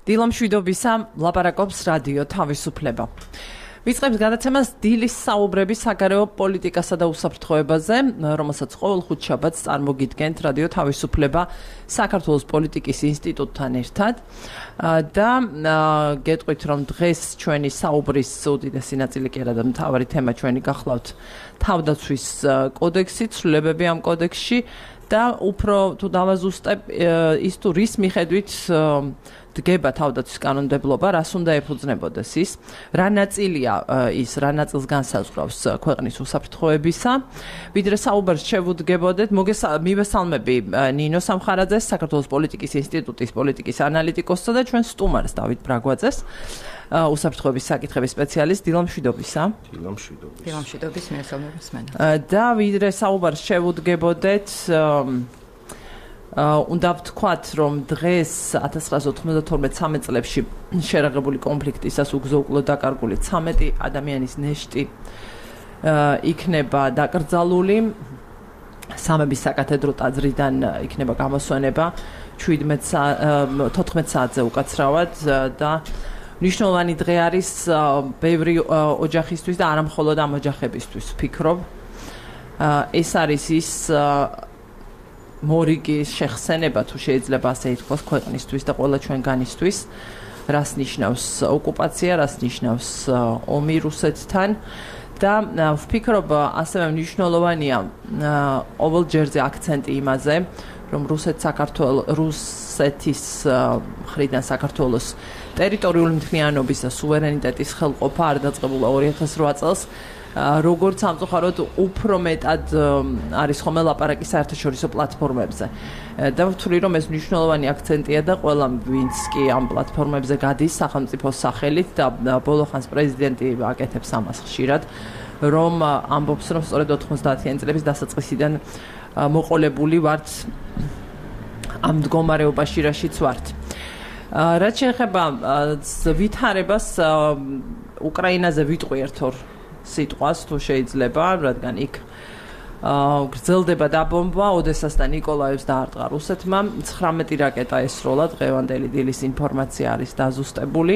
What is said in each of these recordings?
დილამშვიდობისა ლაპარაკობს რადიო თავისუფლება. ვიწყებს გადაცემას დილის საუბრები საგარეო პოლიტიკასა და უსაფრთხოებაზე, რომელსაც ყოველ ხუთშაბათს წარმოგიდგენთ რადიო თავისუფლება საქართველოს პოლიტიკის ინსტიტუტთან ერთად. და გეტყვით, რომ დღეს ჩვენი საუბრის უდიდესი ნაწილი კი არა და მთავარი თემა ჩვენი გახლავთ თავდაცვის კოდექსი, ცვლილებები ამ კოდექსში და უფრო თუ დავაზუსტებ ის თუ რის მიხედვით დგება თავდაცვის კანონმდებლობა, რას უნდა ეფუძნებოდეს ის, რა ნაწილია ის, რა ნაწილს განსაზღვრავს ქვეყნის უსაფრთხოებისა. ვიდრე საუბარს შევუდგებოდეთ, მივესალმები ნინო სამხარაძეს, საქართველოს პოლიტიკის ინსტიტუტის პოლიტიკის ანალიტიკოსსა და ჩვენ სტუმარს დავით ბრაგვაძეს, უსაფრთხოების საკითხების სპეციალისტ. დილამშვიდობისა. დილამშვიდობის, მივესალმებით მსმენელს. და ვიდრე საუბარს შევუდგებოდეთ, უნდა ვთქვათ, რომ დღეს 1992-13 წლებში შერაღებული კონფლიქტისას უგზო-უკვლოდ დაკარგული 13 ადამიანის ნეშტი იქნება დაკრძალული. სამების საკათედრო ტაძრიდან იქნება გამოსვენება 14 საათზე უკაცრავად და მნიშვნელოვანი დღე არის ბევრი ოჯახისთვის და არა მხოლოდ ამ ოჯახებისთვის, ვფიქრობ. ეს არის ის მორიგის შეხსენება, თუ შეიძლება ასე ითქვას, ქვეყნისთვის და ყველა ჩვენგანისთვის, რას ნიშნავს ოკუპაცია, რას ნიშნავს ომი რუსეთთან და ვფიქრობ, ასევე მნიშვნელოვანია ყოველ ჯერზე აქცენტი იმაზე, რომ რუსეთის მხრიდან საქართველოს ტერიტორიული მთლიანობის და სუვერენიტეტის ხელყოფა არ დაწყებულა 2008 წელს. როგორც სამწუხაროდ უფრო მეტად არის ხოლმე ლაპარაკი საერთაშორისო პლატფორმებზე. და ვთვლი, რომ ეს მნიშვნელოვანი აქცენტია და ყველა ვინც კი ამ პლატფორმებზე გადის სახელმწიფოს სახელით და ბოლო ხანს პრეზიდენტი აკეთებს ამას ხშირად, რომ ამბობს, რომ სწორედ 90-იანი წლების დასაწყისიდან მოყოლებული ვართ ამ მდგომარეობაში, რაშიც ვართ. რაც შეეხება ვითარებას, უკრაინაზე ვიტყვი ერთ-ორ სიტყვას, თუ შეიძლება, რადგან იქ გრძელდება დაბომბვა, ოდესას და ნიკოლაევს დაარტყა რუსეთმა, 19 რაკეტა ესროლა, დღევანდელი დილის ინფორმაცია არის დაზუსტებული.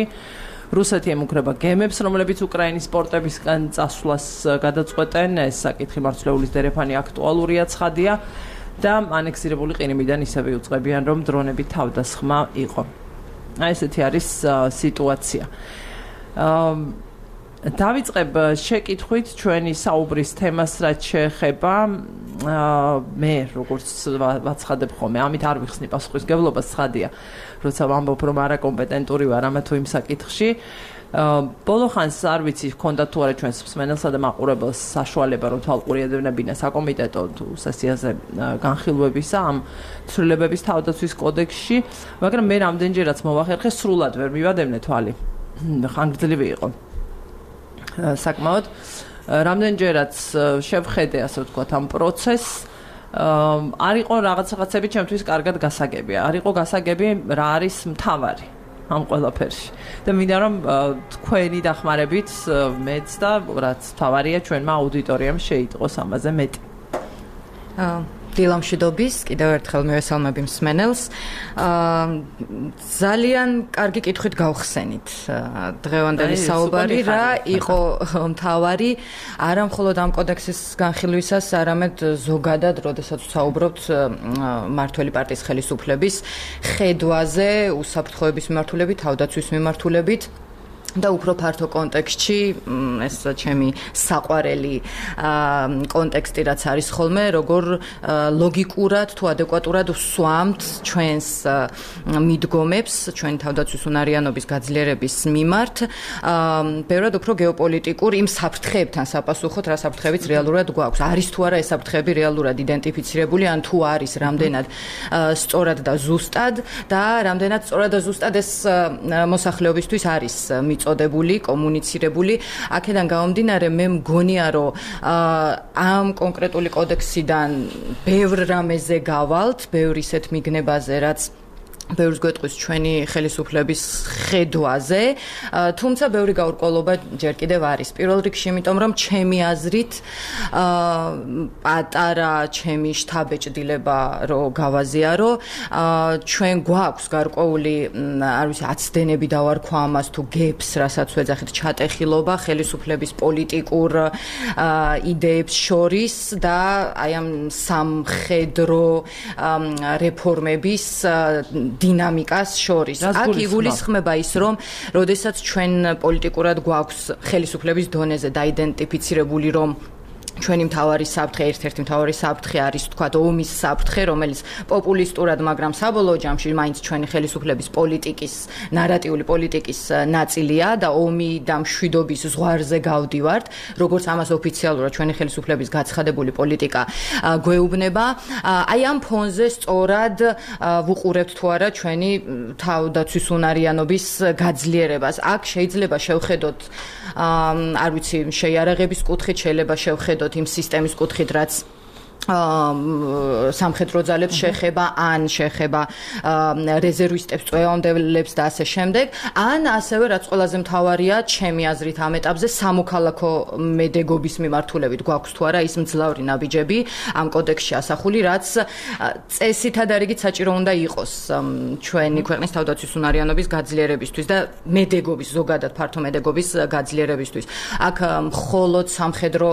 რუსეთი ემუქრება გემებს, რომლებიც უკრაინის პორტებისგან წასვლას გადაწყვეტენ, ეს საკითხი მარცვლეულის დერეფანი აქტუალურია, ცხადია და ანექსირებული ყირიმიდან ისევე იუწყებიან, რომ დრონები თავდასხმა იყო. ესეთი არის სიტუაცია. დავიწყებ შეკითხვით ჩვენი საუბრის თემას, რაც შეეხება მე როგორც ვაცხადებ ხოლმე, ამით არ ვიხსნი პასუხისმგებლობას, ცხადია, როცა ვამბობ, რომ არაკომპეტენტური ვარ ამა თუ იმ საკითხში. ბოლო ხანს არ ვიცი, ჰქონდა თუ არა ჩვენს მსმენელსა და მაყურებელს საშუალება, რომ თვალყურიებდებინა საკომიტეტო თუ სესიაზე განხილვებისა ამ ცვლილებების თავდაცვის კოდექსში, მაგრამ მე რამდენჯერაც მოვახერხე, სრულად ვერ მივადევნე თვალი. ხანგრძლივი იყო. საკმაოდ რამდენჯერაც შევხედე, ასე ვთქვათ, ამ პროცესს, არ იყო რაღაცები ჩემთვის კარგად გასაგები. არ იყო გასაგები, რა არის მთავარი ამ ყველაფერში. და მინდა რომ თქვენი დახმარებით მეც და რაც მთავარია ჩვენმა აუდიტორიამ შეიტყოს ამაზე მეტი. დილამშვიდობის, კიდევ ერთხელ მივესალმები მსმენელს. ძალიან კარგი კითხვით გავხსენით დღევანდელი საუბარი, რა იყო მთავარი არა მხოლოდ ამ კოდექსის განხილვისას, არამედ ზოგადად, როდესაც საუბრობთ მმართველი პარტიის ხელისუფლების ხედვაზე, უსაფრთხოების მიმართულებით, თავდაცვის მიმართულებით. და უფრო ფართო კონტექსტში, ეს ჩემი საყვარელი კონტექსტი რაც არის ხოლმე, როგორ ლოგიკურად თუ ადეკვატურად ვსვამთ ჩვენს მიდგომებს, ჩვენი თავდაცვის უნარიანობის გაძლიერების მიმართ, ბევრად უფრო გეოპოლიტიკურ იმ საფრთხეებთან საპასუხოდ, რა საფრთხებიც რეალურად გვაქვს. არის თუ არა ეს საფრთხეები რეალურად იდენტიფიცირებული, ან თუ არის რამდენად სწორად და ზუსტად და რამდენად სწორად და ზუსტად ეს მოსახლეობისთვის არის წოდებული, კომუნიცირებული. აქედან გამომდინარე, მე მგონია, რომ ამ კონკრეტული კოდექსიდან ბევრ რამეზე გავალთ, ბევრ ისეთ მიგნებაზე, რაც ბევრს გვეტყვის ჩვენი ხელისუფლების ხედვაზე, თუმცა ბევრი გაურკვევლობა ჯერ კიდევ არის. პირველ რიგში, იმიტომ რომ ჩემი აზრით პატარა ჩემი შთაბეჭდილება რო გავაზიარო, ჩვენ გვაქვს გარკვეული, არ ვიცი, აცდენები დავარქვა ამას თუ გებს, რასაც ვეძახით, ჩატეხილობა ხელისუფლების პოლიტიკურ იდეებს შორის და აი ამ სამხედრო რეფორმების დინამიკას შორის. აქ იგულისხმება ის, რომ როდესაც ჩვენ პოლიტიკურად გვაქვს ხელისუფლების დონეზე დაიდენტიფიცირებული, რომ ჩვენი მთავარი საფრთხე, ერთ-ერთი მთავარი საფრთხე არის თქვათ ომის საფრთხე, რომელიც პოპულისტურად, მაგრამ საბოლოო ჯამში მაინც ჩვენი ხელისუფლების პოლიტიკის, ნარატიული პოლიტიკის ნაწილია და ომი და მშვიდობის ზღვარზე გავდივართ, როგორც ამას ოფიციალურად ჩვენი ხელისუფლების გაცხადებული პოლიტიკა გვეუბნება. აი ამ ფონზე სწორად ვუყურებთ თუ არა ჩვენი თავდაცვის უნარიანობის გაძლიერებას. აქ შეიძლება შევხედოთ არ ვიცი, შეიარაღების კუთხით, შეიძლება შევხედოთ იმ სისტემის კუთხით, რაც სამხედრო ძალებს შეხება, ან შეხება რეზერვისტებს, წვევამდელებს და ასე შემდეგ, ან ასევე რაც ყველაზე მთავარია, ჩემი აზრით ამ ეტაპზე სამოქალაქო მედეგობის მიმართულებით გვაქვს თუ არა ის მძლავრი ნაბიჯები ამ კოდექსში ასახული, რაც წესითა და რიგით საჭირო უნდა იყოს ჩვენი ქვეყნის თავდაცვის უნარიანობის გაძლიერებისთვის და მედეგობის, ზოგადად ფართო მედეგობის გაძლიერებისთვის. აქ მხოლოდ სამხედრო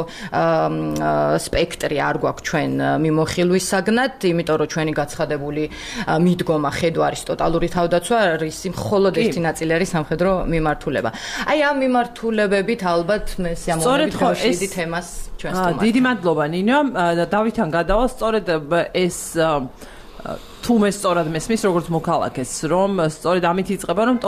სპექტრი არ გვაქვს ჩვენ მიმოხილვისაგნად, იმიტომ რომ ჩვენი გაცხადებული მიდგომა ხედვა არის ტოტალური თავდაცვა, არის მხოლოდ ერთი ნაწილი არის სამხედრო მიმართულება. აი ამ მიმართულებებით ალბათ მე სიამოვნებით გავშვიდი თემას ჩვენს სტუმართან. დიდი მადლობა ნინო, დავითთან გადავალ, სწორედ ეს თუ მე სწორად მესმის როგორც მოქალაქეს, რომ სწორედ ამით იწყება, რომ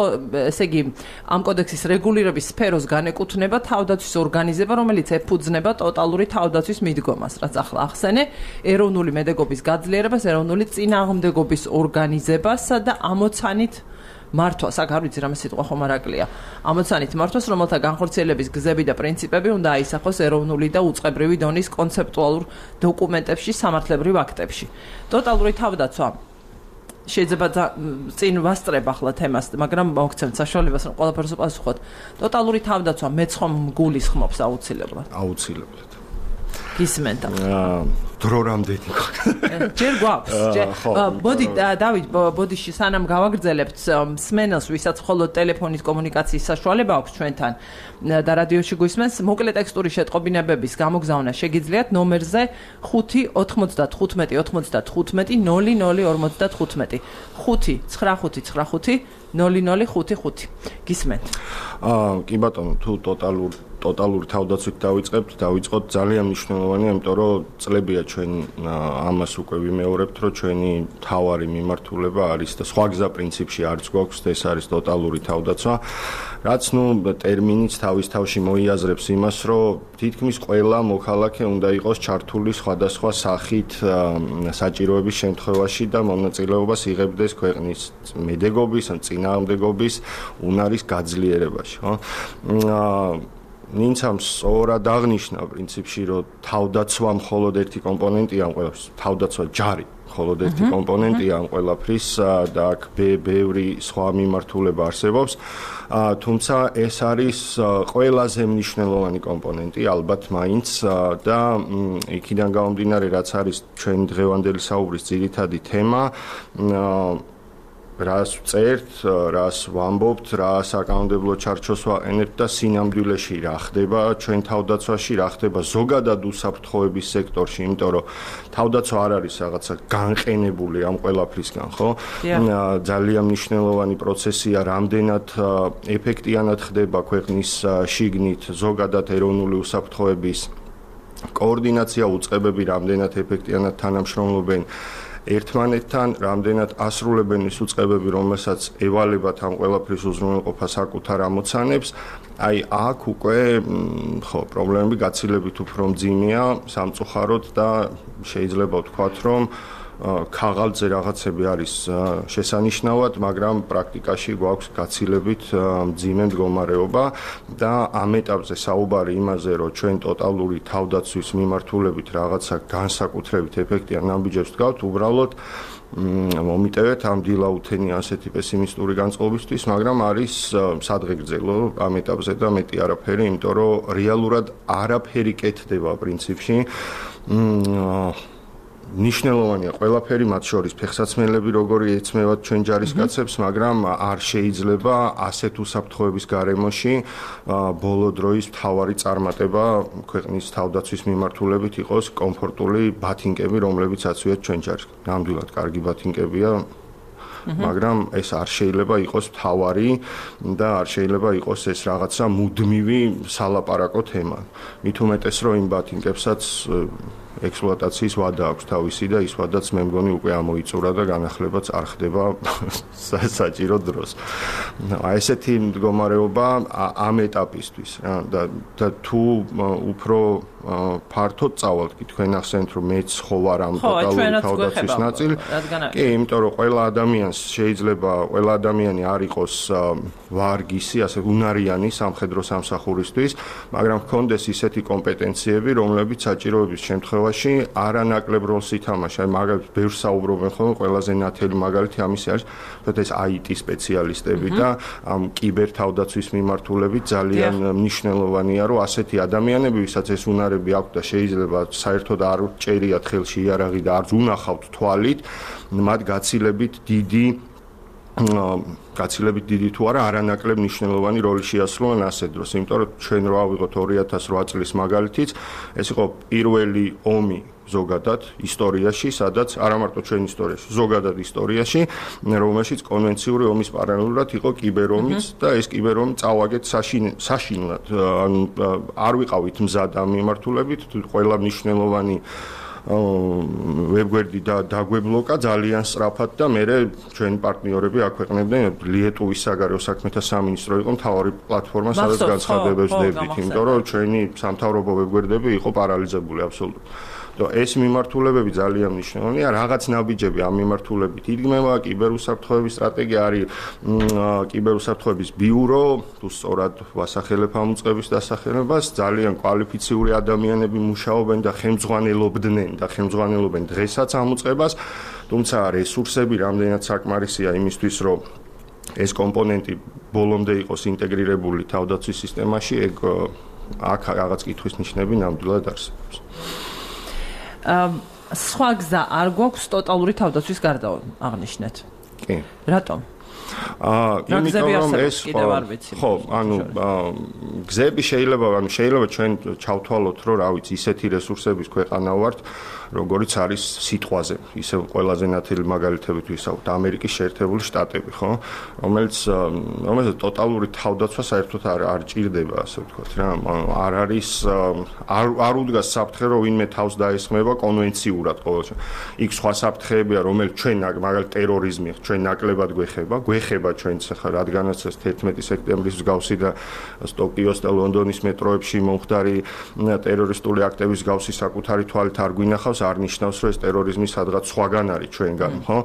ესე იგი ამ კოდექსის რეგულირების სფეროს განეკუთვნება თავდაცვის ორგანიზება, რომელიც ეფუძნება ტოტალური თავდაცვის მიდგომას, რაც ახლა ახსენე, ეროვნული მედეგობის გაძლიერებას, ეროვნული წინააღმდეგობის ორგანიზებასა და ამოცანით მართვას, აქ არ ვიცი რამე სიტყვა ხომ არ აკლია. ამოცანით მართვას, რომელთა განხორციელების გზები და პრინციპები უნდა აისახოს ეროვნული და უწყებრივი დონის კონცეპტუალურ დოკუმენტებში, სამართლებრივ აქტებში. ტოტალური თავდაცვა შეიძლება წინ ვასწრებ ახლა თემას, მაგრამ მოგცემთ საშუალებას, რომ ყველაფერს უპასუხოთ. ტოტალური თავდაცვა მეც ხომ გულისხმობს აუცილებლად. აუცილებლად. გისმენთ. დრო რამდენი გვაქვს? ჯერ გვაქვს. მოდი დავით, ბოდიში სანამ გავაგრძელებთ სმენელს, ვისაც მხოლოდ ტელეფონის კომუნიკაციის საშუალება აქვს ჩვენთან და რადიოში გვისმენს, მოკლე ტექსტური შეტყობინებების გამოგზავნა შეგიძლიათ ნომერზე 5-95-95-0055. 5-95-95-0055. გისმენთ. კი ბატონო, თუ ტოტალური თავდაცვით დავიწყოთ ძალიან მნიშვნელოვანია, იმიტომ რომ წლებია ჩვენ ამას უკვე ვიმეორებთ, რომ ჩვენი მთავარი მიმართულება არის და სხვა გზა პრინციპში არც გვაქვს, ეს არის ტოტალური თავდაცვა, რაც ტერმინიც თავის თავში მოიაზრებს იმას, რომ თითქმის ყველა მოქალაქე უნდა იყოს ჩართული სხვადასხვა სახით საჭიროების შემთხვევაში და მონაწილეობას იღებდეს ქვეყნის მედეგობის ან წინააღმდეგობის უნარის გაძლიერებაში, ხო? ნინცამ სწორად აღნიშნა პრინციპში, რომ თავდაცვა მხოლოდ ერთი კომპონენტია ამ ყველაფრის, თავდაცვა ჯარი მხოლოდ ერთი კომპონენტია ამ ყველაფრის და აქ ბევრი სხვა მიმართულება არსებობს, თუმცა ეს არის ყველაზე მნიშვნელოვანი კომპონენტი ალბათ მაინც და იქიდან გამომდინარე, რაც არის ჩვენი დღევანდელი საუბრის ძირითადი თემა, რას ვწერთ, რას ვამბობთ, რა საკანონმდებლო ჩარჩოს ვაყენებთ და სინამდვილეში რა ხდება ჩვენ თავდაცვაში, რა ხდება ზოგადად უსაფრთხოების სექტორში, იმიტომ რომ თავდაცვა არ არის რაღაცა განყენებული ამ ყველაფრისგან, ხო? ძალიან მნიშვნელოვანი პროცესია, რამდენად ეფექტიანად ხდება ქვეყნის შიგნით ზოგადად ეროვნული უსაფრთხოების კოორდინაცია, უწყებები რამდენად ეფექტიანად თანამშრომლობენ ერთმანეთთან, რამდენად ასრულებენ ის უწყებები, რომელსაც ევალებათ ამ ყველაფრის უზრუნველყოფა საკუთარ ამოცანებს, აი აქ უკვე ხო, პრობლემები გაცილებით უფრო მძიმეა სამწუხაროდ და შეიძლება ვთქვათ, რომ ქაღალდზე რაღაცები არის შესანიშნავად, მაგრამ პრაქტიკაში გვაქვს გაცილებით მძიმე მდგომარეობა და ამ ეტაპზე საუბარი იმაზე, რომ ჩვენ ტოტალური თავდაცვის მიმართულებით რაღაცა განსაკუთრებით ეფექტიან ნაბიჯებს ვდგავთ, უბრალოდ მომიტევეთ ამ დილაუთენი ასეთი პესიმისტური განწყობისთვის, მაგრამ არის სადღეგრძელო ამ ეტაპზე და მეტი არაფერი, იმიტომ რომ რეალურად არაფერი კეთდება პრინციპში. ნიშნელოვანია ყველაფერი, მათ შორის ფეხსაცმელები როგორი ეცმევათ ჩვენ ჯარისკაცებს, მაგრამ არ შეიძლება ასეთ უსაფრთხოების გარემოში ბოლო დროის მთავარი წარმატება ქვეყნის თავდაცვის მიმართულებით იყოს კომფორტული ბათინკები, რომლებიც აწვიათ ჩვენ ჯარს. ნამდვილად კარგი ბათინკებია, მაგრამ ეს არ შეიძლება იყოს მთავარი და არ შეიძლება იყოს ეს რაღაცა მუდმივი სალაპარაკო თემა. მით უმეტეს რომ იმ ბათინკებსაც ექსპლუატაციის ვადა აქვს თავისი და ის ვადაც მე მგონი უკვე ამოიწურა და განახლებაც არ ხდება საჭირო დროს. ესეთი მდგომარეობა ამ ეტაპისთვის რა და თუ უფრო ფართოდ წავალთ კი თქვენ ახსენეთ რომ მეც ხო ვარ ამ ტოტალური თავდაცვის ნაწილი. კი, იმიტომ რომ ყველა ადამიანს შეიძლება ყველა ადამიანი არ იყოს ვარგისი, ასე უნარიანი სამხედრო სამსახურისთვის, მაგრამ ჰქონდეს ისეთი კომპეტენციები, რომლებიც საჭიროების შემთხვევაში არანაკლებ როლს ითამაშა. მაგალითად, ბევრს საუბრობენ ხოლმე, ყველაზე ნათელი მაგალითი ამისი არის, თორე ეს IT სპეციალისტები და ამ კიბერთავდაცვის მიმართულებით ძალიან მნიშვნელოვანია, რომ ასეთი ადამიანები, ვისაც ეს უნარები აქვს და შეიძლება საერთოდ არ ჭერიათ ხელში იარაღი და არც უნახავთ თვალით, მათ გაცილებით დიდი თუ არა არანაკლებ მნიშვნელოვანი როლი შეასრულონ ასეთ დროს, იმიტომ რომ ჩვენ რო ავიღოთ 2008 წლის მაგალითიც, ეს იყო პირველი ომი ზოგადად ისტორიაში, სადაც არა მარტო ჩვენ ისტორიაში, ზოგადად ისტორიაში, რომელშიც კონვენციური ომის პარალელურად იყო კიბერომიც და ეს კიბერომი წავაგეთ საშინლად, ანუ არ ვიყავით მზად ამ მიმართულებით, ყველა მნიშვნელოვანი ვებგვერდი და დაგვებლოკა ძალიან სწრაფად და მე ჩვენი პარტნიორები აქვეყნებდნენ ლიეტუვის საგარეო საქმეთა სამინისტრო იყო მთავარი პლატფორმა, სადაც განცხადებებს დებდით, იმიტომ რომ ჩვენი სამთავრობო ვებგვერდები იყო პარალიზებული აბსოლუტურად. ეს მიმართულებები ძალიან მნიშვნელოვანია, რაღაც ნაბიჯები ამ მიმართულებით იდგმება, კიბერუსაფრთხოების სტრატეგია არის კიბერუსაფრთხოების ბიურო, თუ სწორად ვასახელებ ამ უწყების დასახელებას, ძალიან კვალიფიციური ადამიანები მუშაობენ და ხელმძღვანელობენ დღესაც ამ უწყებას, თუმცა რესურსები რამდენად საკმარისია იმისთვის, რომ ეს კომპონენტი ბოლომდე იყოს ინტეგრირებული თავდაცვის სისტემაში, ეგ აქ რაღაც კითხვის ნიშნები ნამდვილად არსებობს. სხვა გზა არ გვაქვს ტოტალური თავდაცვის გარდა აღნიშნეთ. კი. რატომ? იმიტომ რომ ეს ხო, ანუ გზები შეიძლება ჩვენ ჩავთვალოთ, რომ რა ვიცი, ისეთი რესურსების ქვეყანა ვართ, როგორიც არის სიტყვაზე, ისე ყველაზე ნათელი მაგალითებით ვისაუბრეთ, ამერიკის შეერთებული შტატები, ხო? რომელიც ტოტალური თავდაცვა საერთოდ არ ჭირდება, ასე ვთქვათ, რა. არ არის არ უდგას საფრთხე, რომ ვინმე თავს დაესხმება კონვენციურად ყოველთვის. იქ სხვა საფრთხეებია, რომელიც ჩვენ მაგალითად ტერორიზმი, ჩვენ ნაკლებად გვეხება ჩვენც ახლა რადგანაც 11 სექტემბრის მსგავსი და ტოკიოს და ლონდონის მეტროებში მომხდარი ტერორისტული აქტების მსგავსი საკუთარი თვალით არ გვინახავს, არ ნიშნავს, რომ ეს ტერორიზმი სადღაც სხვაგან არის ჩვენგან, ხო?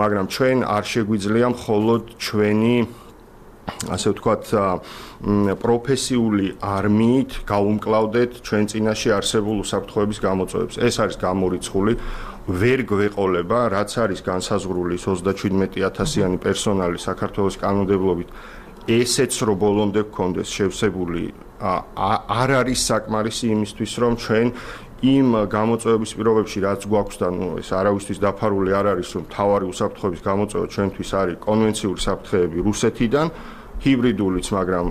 მაგრამ ჩვენ არ შეგვიძლია მხოლოდ ჩვენი ასე ვთქვათ, პროფესიული არმიით გაუმკლავდეთ ჩვენ წინაშე არსებულ უსაფრთხოების გამოწვევებს. ეს არის გამორიცხული, ვერ გვეყოლება, რაც არის განსაზღვრული 37,000-იანი პერსონალი საქართველოს კანონმდებლობით. ესეც რო ბოლომდე გქონდეს შევსებული, არ არის საკმარისი იმისთვის, რომ ჩვენ იმ გამოწვევების პირობებში, რაც გვაქვს და ეს არავისთვის დაფარული არ არის, რომ თავარი უსაფრთხოების გამოწვევა ჩვენთვის არის კონვენციური საფრთხეები რუსეთიდან, ჰიბრიდულიც, მაგრამ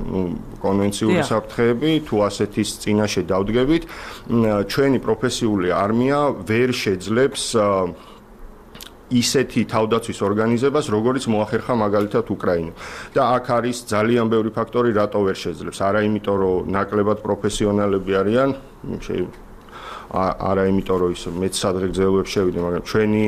კონვენციური საფრთხეები, თუ ასეთის წინაშე დავდგებით, ჩვენი პროფესიული არმია ვერ შეძლებს ისეთი თავდაცვის ორგანიზებას, როგორც მოახერხა მაგალითად უკრაინა. და აქ არის ძალიან ბევრი ფაქტორი, რატო ვერ შეძლებს. არა იმიტომ, რომ ნაკლებად პროფესიონალები არიან, არა იმიტომ რომ ის მეც სადღეგრძელოებს შევიდე, მაგრამ ჩვენი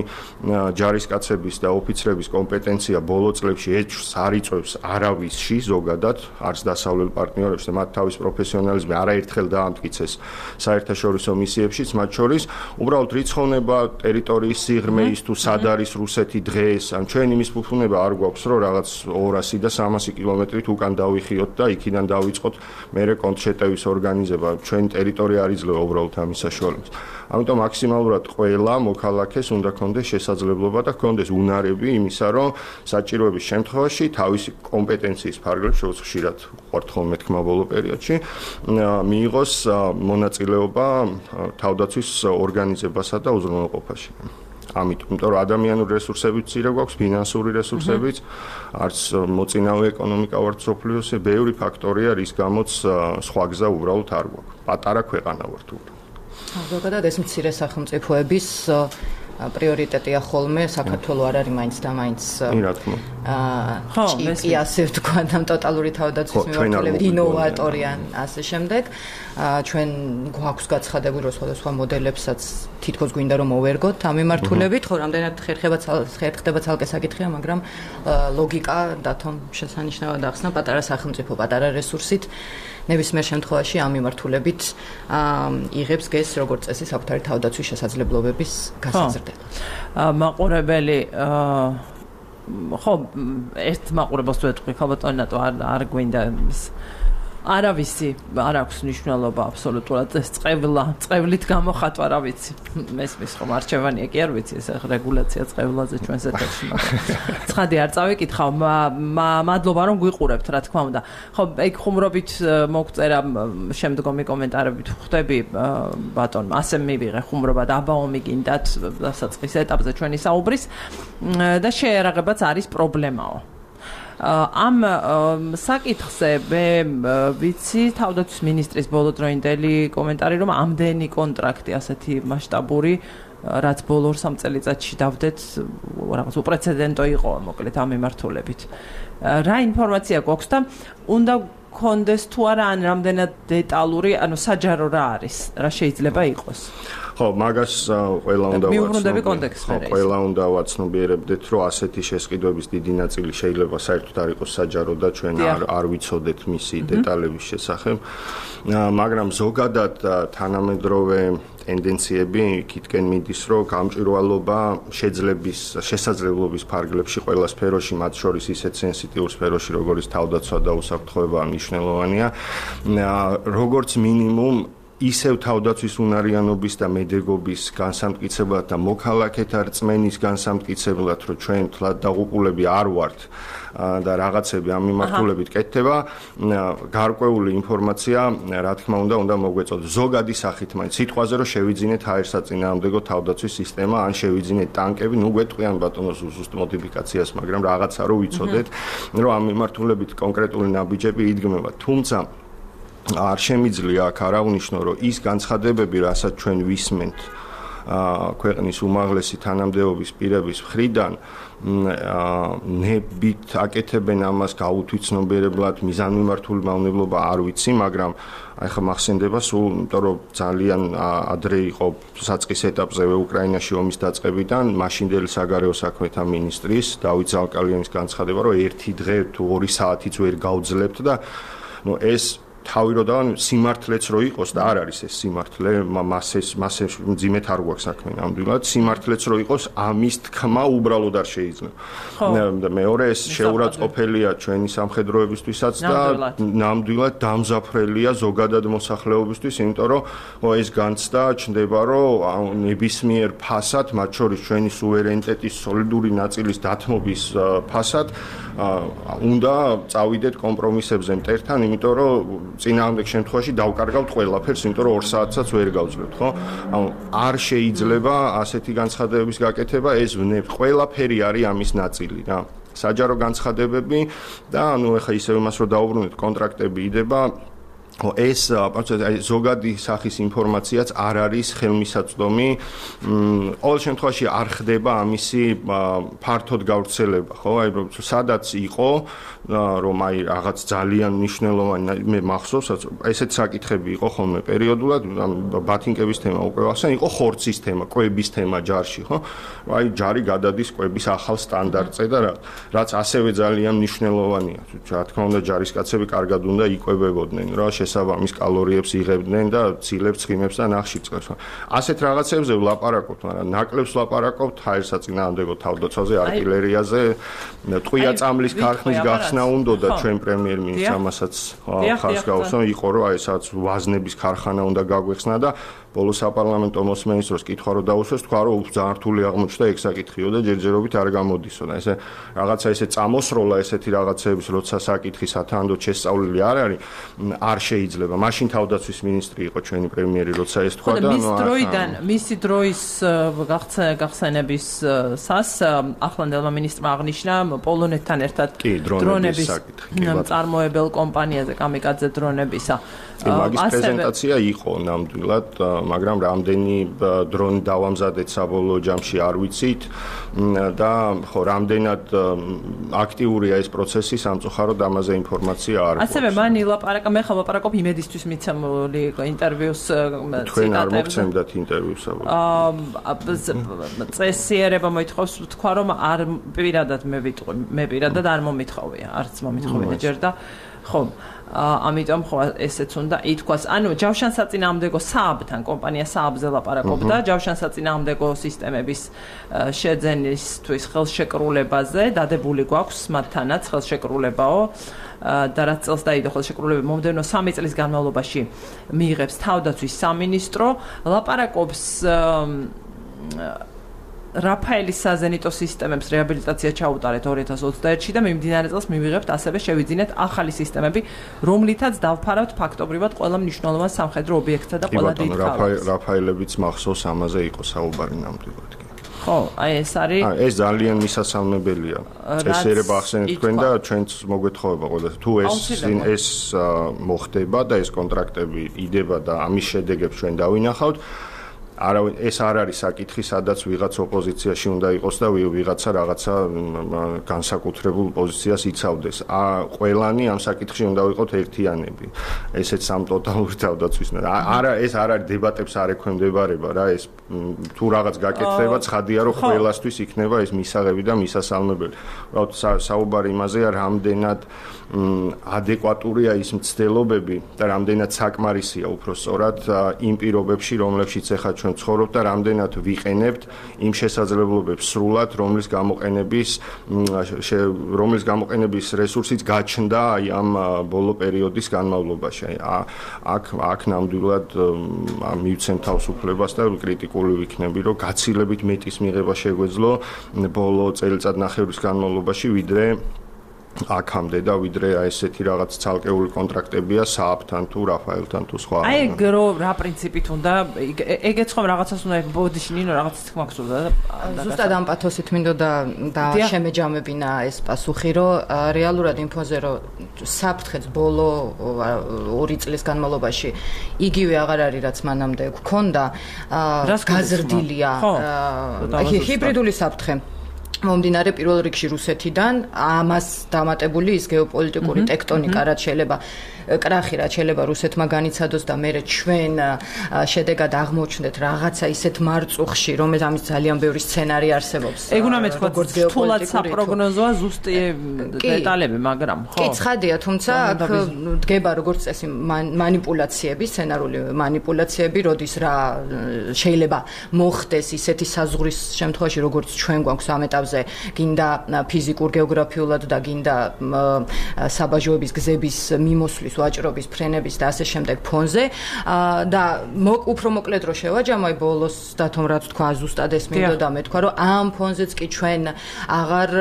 ჯარისკაცების და ოფიცრების კომპეტენცია ბოლო წლებში ეჭვს არ იწვევს არავისში ზოგადად, არც დასავლელ პარტნიორებში და მათ თავის პროფესიონალიზმი არაერთხელ დაამტკიცეს საერთაშორისო მისიებშიც, მათ შორის უბრალოდ რიცხოვნება ტერიტორიის სიღრმეის თუ სად არის რუსეთი დღეს, ან ჩვენ იმის ფუფუნება არ გვაქვს, რომ რაღაც 200 და 300 კილომეტრით უკან დავიხიოთ და იქიდან დავიწყოთ მერე კონტრშეტევის ორგანიზება. ჩვენი ტერიტორია არ იძლევა უბრალოდ ამის საშუალებას. ამიტომ მაქსიმალურად ყველა მოქალაქეს უნდა ქონდეს შესაძლებლობა და ქონდეს უნარები იმისა, რომ საჭიროების შემთხვევაში თავისი კომპეტენციის ფარგლებში, როგორც ხშირად ვყავთ ხოლმე თქმა ბოლო პერიოდში, მიიღოს მონაწილეობა თავდაცვის ორგანიზებასა და უზრუნველყოფაში. ამიტომ, იმიტომ რომ ადამიანური რესურსებიც მცირე გვაქვს, ფინანსური რესურსებიც, არც მოწინავე ეკონომიკა ვართ სოფლიოსზე, ბევრი ფაქტორია, რის გამოც სხვა გზა უბრალოდ არ გვაქვს. პატარა ქვეყანა ვართ უბრალოდ. ზოგადად ეს მცირე სახელმწიფოების პრიორიტეტია ხოლმე, საქართველოს არ არის მაინც და მაინც ჭიპი ასე ვთქვათ, ამ ტოტალური თავდაცვის მიმართულებით ინოვატორი ან ასე შემდეგ. ჩვენ გვაქვს გაცხადებული რომ სხვადასხვა მოდელებსაც თითქოს გვინდა რომ მოვერგოთ ამ მიმართულებით, ხო რამდენად ხერხდება ცალკე საკითხია, მაგრამ ლოგიკა დათომ შესანიშნავად ახსნა პატარა სახელმწიფო, პატარა რესურსით ნებისმიერ შემთხვევაში ამ მიმართულებით იღებს გეს როგორც წესი საკუთარი თავდაცვის შესაძლებლობების გასაზრდელად. მაყურებელი ხო ერთ მაყურებელს თუ ეთქვი ხალბატონატო არ გვინდა არავისი არ აქვს მნიშვნელობა აბსოლუტურად ეს წევლით გამოხატვა რა ვიცი მესმის ხომ არჩევანია კი არ ვიცი ეს რეგულაცია წევლაზე ჩვენს ეთერში ცხადი არ წავიკითხავ მადლობა რომ გვიყურებთ რა თქმა უნდა ხო ეგ ხუმრობით მოგწერა შემდგომი კომენტარებით ხვდები ბატონ ასე მივიღე ხუმრობა და აბაომი გინდათ დასაწყის ეტაპზე ჩვენი საუბრის და შეერაღებაც არის პრობლემაო ამ საკითხზე მე ვიცი თავდაცვის მინისტრის ბოლოდროინდელი კომენტარი რომ ამდენი კონტრაქტი ასეთი მასშტაბური რაც ბოლო 3 წელიწადში დავდეთ რაღაც უპრეცედენტო იყო მოკლედ ამ მიმართულებით რა ინფორმაცია გვაქვს და უნდა გქონდეს თუ არა ან რამდენად დეტალური ანუ საჯარო რა არის რა შეიძლება იყოს ხო, მაგას ყველა უნდა მიუბრუნდები კონტექსტში. ყველა უნდა ვაცნობიერებდეთ, რომ ასეთი შესყიდვების დიდი ნაწილი შეიძლება საერთოდ არ იყოს საჯარო და ჩვენ არ ვიცოდეთ მისი დეტალების შესახებ. მაგრამ ზოგადად თანამედროვე ტენდენციები იქითკენ მიდის, რომ გამჭვირვალობა შესაძლებლობის ფარგლებში ყველა სფეროში, მათ შორის ისეთ სენსიტიურ სფეროში, როგორც თავდაცვა და უსაფრთხოება მნიშვნელოვანია. როგორც მინიმუმ ისევ თავდაცვის უნარიანობის და მედეგობის განსამტკიცებლად და მოქალაქეთა რწმენის განსამტკიცებლად, რომ ჩვენ თლად დაღუპულები არ ვართ და რაღაცები ამ მიმართულებით კეთდება, გარკვეული ინფორმაცია, რა თქმა უნდა მოგვეწოდოს ზოგადი სახით, მაინც სიტყვაზე რომ შევიძინეთ აერსაწინააღმდეგო თავდაცვის სისტემა, ან შევიძინეთ ტანკები, ნუ გვეტყვიან ბატონოს ზუსტ მოდიფიკაციას, მაგრამ რაღაცა რომ ვიცოდეთ, რომ ამ მიმართულებით კონკრეტული ნაბიჯები იდგმება, თუმცა არ შემიძლია აქ არავნიშნო რომ ის განცხადებები, რასაც ჩვენ ვისმენთ ქვეყნის უმაღლესი თანამდებობის პირების მხრიდან ნებით აკეთებენ ამას გაუთვითცნობიერებლად მიზანმიმართული მავნებლობა არ ვიცი, მაგრამ აი ხა მახსენდება სულ, იმიტომ რომ ძალიან ადრე იყო საწყის ეტაპზე უკრაინაში ომის დაწყებიდან მაშინდელი საგარეო საქმეთა მინისტრის დავით ზალკალიანის განცხადება, რომ 1 დღე თუ 2 საათიც ვერ გავძლებთ და ნუ ეს თავი რო და სიმართლეც რო იყოს და არ არის ეს სიმართლე მასე მძიმედ არ გვაქვს საქმე ნამდვილად სიმართლეც რო იყოს ამის თქმა უბრალოდ არ შეიძლება და მეორე ეს შეურაცხყოფელია ჩვენი სამხედროებისთვისაც და ნამდვილად დამზაფრელია ზოგადად მოსახლეობისთვის იმიტომ რომ ეს განცდა ჩნდება რომ ნებისმიერ ფასად მათ შორის ჩვენი სუვერენიტეტის სოლიდური ნაწილის დათმობის ფასად უნდა წავიდეთ კომპრომისებზე მტერთან იმიტომ რომ წინააღმდეგ შემთხვევაში დავკარგავთ ყველაფერს, იმიტომ რომ 2 საათსაც ვერ გავძლებთ, ხო? ანუ არ შეიძლება ასეთი განცხადებების გაკეთება, ეს ყველაფერი არის ამის ნაწილი, რა. საჯარო განცხადებები და ანუ ეხლა ისევ იმას რომ დაუბრუნდეთ, კონტრაქტები იდება ეს ზოგადი სახის ინფორმაციაც არ არის ხელმისაწვდომი. ყოველ შემთხვევაში არ ხდება ამისი ფართოდ გავრცელება, ხო? აი სადაც იყო, რომ აი რაღაც ძალიან მნიშვნელოვანი მე მახსოვს, ესეთ საკითხები იყო ხოლმე პერიოდულად, ბათინკების თემა უკვე ახსენ, იყო ხორცის თემა, კვების თემა ჯარში, ხო? აი ჯარი გადადის კვების ახალ სტანდარტზე და რაც ასევე ძალიან მნიშვნელოვანია. რა თქმა უნდა, ჯარისკაცები კარგად უნდა იკვებებოდნენ, რა შესაბამის კალორიებს იღებდნენ და ცილებს, ცხიმებს და ნახშირწყლებს. ასეთ რაღაცებზე ვლაპარაკობთ, მაგრამ ნაკლებს ვლაპარაკობთ ჰაერსაწინააღმდეგო თავდაცვაზე, არტილერიაზე, ტყვია წამლის ქარხნის გახსნა უნდოდა ჩვენ პრემიერ-მინისტრს ამასაც ხარს გაუსვა, იყო რომ აი სადაც ვაზნების ქარხანა უნდა გაგვეხსნა და ბოლო საპარლამენტო მოსმენის დროს კითხვა რომ დაუსვეს, თქვა რომ ძალიან რთული აღმოჩნდა ეგ საკითხიო და ჯერჯერობით არ გამოდისო და ესე რაღაცა ესე წამოსროლა ესეთი რაღაცების როცა საკითხი სათანადოდ შესწავლილი არ არის, არ შეიძლება. მაშინ თავდაცვის მინისტრი იყო ჩვენი პრემიერი, როცა ეს თქვა და მისი დროის გახსენების სას ახლანდელმა მინისტრმა აღნიშნა პოლონეთთან ერთად დრონების წარმოებელ კომპანიაზე კამიკაძე დრონებისა. მაგის პრეზენტაცია იყო ნამდვილად, მაგრამ რამდენი დრონი დავამზადეთ საბოლოო ჯამში არ ვიცით და ხო რამდენად აქტიურია ეს პროცესი, სამწუხაროდ ამაზე ინფორმაცია არ გვაქვს. ასევე მან ილაპარაკა, მე ხომ ვაპარაკობ იმედისთვის მიცემული ინტერვიუს ციტატებზე. თქვენ არ მოგცემდათ ინტერვიუს საბოლოოდ. წესიერება მოითხოვს თქვა რომ არ პირადად მე პირადად არ მომითხოვია, არც მომითხოვია ჯერ და ხო ამიტომ ხო ესეც უნდა ითქვას. ანუ ჯავშანსაწინააღმდეგო სააბთან, კომპანია სააბზე ლაპარაკობდა ჯავშანსაწინააღმდეგო სისტემების შეძენისთვის ხელშეკრულებაზე, დადებული გვაქვს მათთანაც ხელშეკრულებაო და რაც წელს დაიდო ხელშეკრულება მომდევნო 3 წლის განმავლობაში მიიღებს თავდაცვის სამინისტრო, ლაპარაკობს რაფაელის საზენიტო სისტემებს რეაბილიტაცია ჩაუტარეთ 2021-ში და მიმდინარე წელს მივიღებთ ასევე შევიძინეთ ახალი სისტემები, რომლითაც დავფარავთ ფაქტობრივად ყველა მნიშვნელოვან სამხედრო ობიექტსა და ყველა დიდ ქალაქს. რაფაელებიც მახსოვს ამაზე იყო საუბარი ნამდვილად. ხო, აი ეს არის. ეს ძალიან მისასალმებელია. წესიერება ახსენეთ თქვენ და ჩვენც მოგვეთხოვება ყველას. თუ ეს მოხდება და ეს კონტრაქტები იდება და ამის შედეგებს ჩვენ დავინახავთ, ეს არ არის საკითხი, სადაც ვიღაც ოპოზიციაში უნდა იყოს და ვიღაცა რაღაცა განსაკუთრებულ პოზიციას იცავდეს. ყველანი ამ საკითხში უნდა ვიყოთ ერთიანები. ესეც სამ ტოტალური თავდაცვის. ეს არ არის დებატებს არ ექვემდებარება რა, ეს თუ რაღაც გაკეთდება, ცხადია რომ ყველასთვის იქნება ეს მისაღები და მისასალმებელი. უბრალოდ საუბარი იმაზეა, რამდენად ადეკვატურია ის მცდელობები და რამდენად საკმარისია უფრო სწორად იმ პირობებში, რომლებშიც ეხლა ჩვენ ცხოვრობთ და რამდენად ვიყენებთ იმ შესაძლებლობებს სრულად, რომლის გამოყენების რესურსიც გაჩნდა აი ამ ბოლო პერიოდის განმავლობაში. აქ ნამდვილად მივცემ თავისუფლებას და კრიტიკული ვიქნები, რომ გაცილებით მეტის მიღება შეგვეძლო ბოლო წელიწადნახევრის განმავლობაში, ვიდრე აქამდე და ვიდრე ესეთი რაღაც ცალკეული კონტრაქტებია სააბთან თუ რაფაელთან თუ სხვა. აი რა პრინციპით უნდა ეგეც ხომ რაღაცას უნდა ბოდიში ნინო რაღაცას თქმაქს უნდა და ზუსტად ამ პათოსით მინდოდა და შემეჯამებინა ეს პასუხი, რომ რეალურად იმ ფონზე რომ საფრთხეც ბოლო 2 წლის განმავლობაში იგივე აღარ არის რაც მანამდე გქონდა, გაზრდილია ჰიბრიდული საფრთხე. მომდინარე პირველ რიგში რუსეთიდან, ამას დამატებული ის გეოპოლიტიკური ტექტონიკა, რაც შეიძლება კრახი რაც შეიძლება რუსეთმა განიცადოს და მე ჩვენ შედეგად აღმოჩნდეთ რაღაცა ისეთ მარწუხში, რომელიც ამის ძალიან ბევრი სცენარი არსებობს. ეგ უნდა მეთქვა, რთულად საპროგნოზოა ზუსტი დეტალები, მაგრამ ხო. კი, ცხადია, თუმცა აქ დგება როგორც წესი მანიპულაციები, სცენარული მანიპულაციები, როდის რა შეიძლება მოხდეს ისეთი საზღვრის შემთხვევაში, როგორც ჩვენ გვაქვს ამ ეტაპზე, გინდა ფიზიკურ, გეოგრაფიულად და გინდა საბაჟოების გზების მიმოსვლის ვაჭრობის ფრენების და ასე შემდეგ ფონზე და უფრო მოკლედ რო შევაჯამო აი ბოლოს დათომ რაც თქვა ზუსტად ეს მინდოდა მე თქვა რომ ამ ფონზეც კი ჩვენ აღარ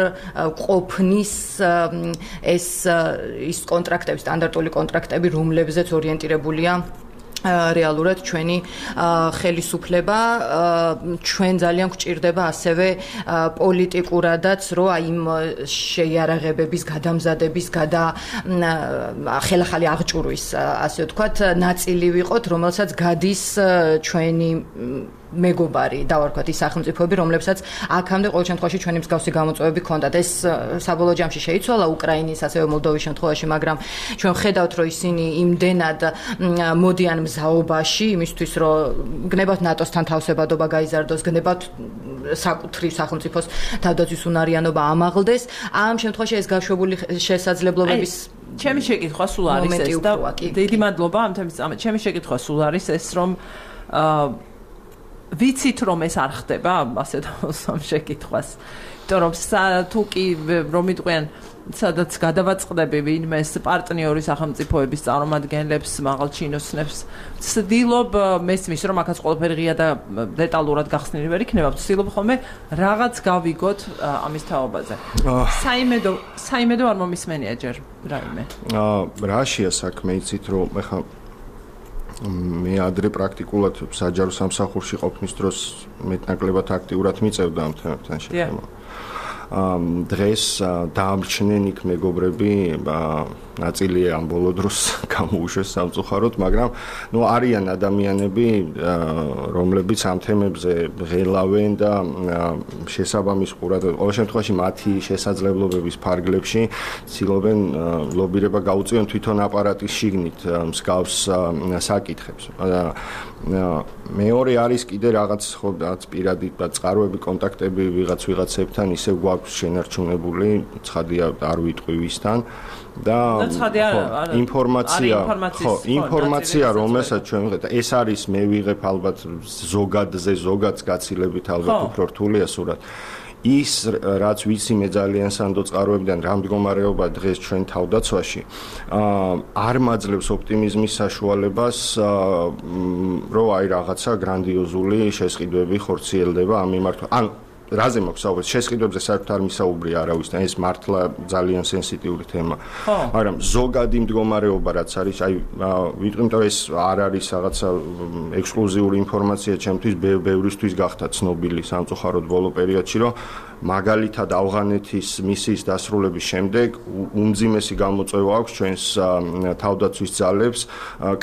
ყოფნის ის კონტრაქტები, სტანდარტული კონტრაქტები, რომლებზეც ორიენტირებულია რეალურად ჩვენი ხელისუფლება ჩვენ ძალიან გვჭირდება ასევე პოლიტიკურადაც რომ აი იმ შეიარაღებების გადამზადების ხელახალი აღჭურვის ასე ვთქვათ ნაწილი ვიყოთ რომელსაც გადის ჩვენი მეგობარი დავარქვათ ის სახელმწიფოები რომლებსაც აქამდე ყოველ შემთხვევაში ჩვენი მსგავსი გამოწვევები ჰქონდათ ეს საბოლოო ჯამში შეიცვალა უკრაინის ასევე მოლდოვის შემთხვევაში მაგრამ ჩვენ ვხედავთ რომ ისინი იმდენად მოდიან მზაობაში იმისთვის რომ გნებავთ ნატოსთან თავსებადობა გაიზარდოს გნებავთ საკუთრივ სახელმწიფოს თავდაცვის უნარიანობა ამაღლდეს ამ შემთხვევაში ეს გაშვებული შესაძლებლობების ჩემი შეკითხვა სულ არის ეს და დიდი მადლობა ამ თემის ჩემი შეკითხვა სულ არის ეს რომ ვიცით რომ ეს არ ხდება ასე დავსვამ შეკითხვას იმიტომ რომ თუ კი რომ იყვიან სადაც გადავაწყდები ვინმეს პარტნიორი სახელმწიფოების წარმომადგენლებს მაღალ ჩინოსნებს ვცდილობ მესმის რომ აქაც ყველაფერი ღია და დეტალურად გახსნილი ვერ იქნება ვცდილობ ხოლმე რაღაც გავიგოთ ამის თაობაზე საიმედო არ მომისმენია ჯერ რაიმე რაშია საქმე იცით რომ ეხა მე ადრე პრაქტიკულად საჯარო სამსახურში ყოფნის დროს მეტნაკლებად აქტიურად მიწევდა ამ თემებთან შეხება. დღეს დაამრჩნენ იქ მეგობრები ნაწილი ამ ბოლო დროს გამოუშვეს სამწუხაროდ, მაგრამ ნუ არიან ადამიანები, რომლებიც ამ თემებზე ღელავენ და შესაბამის ყურადღება, ყოველ შემთხვევაში მათი შესაძლებლობების ფარგლებში ცდილობენ ლობირება გაუწიონ თვითონ აპარატის შიგნით მსგავს საკითხებს. მეორე არის კიდე რაღაც პირადი წყაროები, კონტაქტები ვიღაცებთან ისე გვაქვს შენარჩუნებული, ცხადია არ ვიტყვი ვისთან და ინფორმაცია რომელსაც ჩვენ ვიღებთ ეს არის მე ვიღებ ალბათ ზოგადს გაცილებით ალბათ უფრო რთულია სურათ ის რაც ვიცი მე ძალიან სანდო წყაროებიდან რა მდგომარეობა დღეს ჩვენ თავდაცვაში არ მაძლევს ოპტიმიზმის საშუალებას რომ აი რაღაცა გრანდიოზული შესყიდვები ხორციელდება ამ მიმართულებით ან რაზე მაქვს საუბარი შესყიდვებზე საერთოდ არ მისაუბრია არავისთან ეს მართლა ძალიან სენსიტიური თემა მაგრამ ზოგადი მდგომარეობა რაც არის აი ვიტყვი იმიტომ ეს არ არის რაღაცა ექსკლუზიური ინფორმაცია ჩემთვის ბევრისთვის გახდა ცნობილი სამწუხაროდ ბოლო პერიოდში რომ მაგალითად ავღანეთის მისიის დასრულების შემდეგ უმძიმესი გამოწვევა აქვს ჩვენს თავდაცვის ძალებს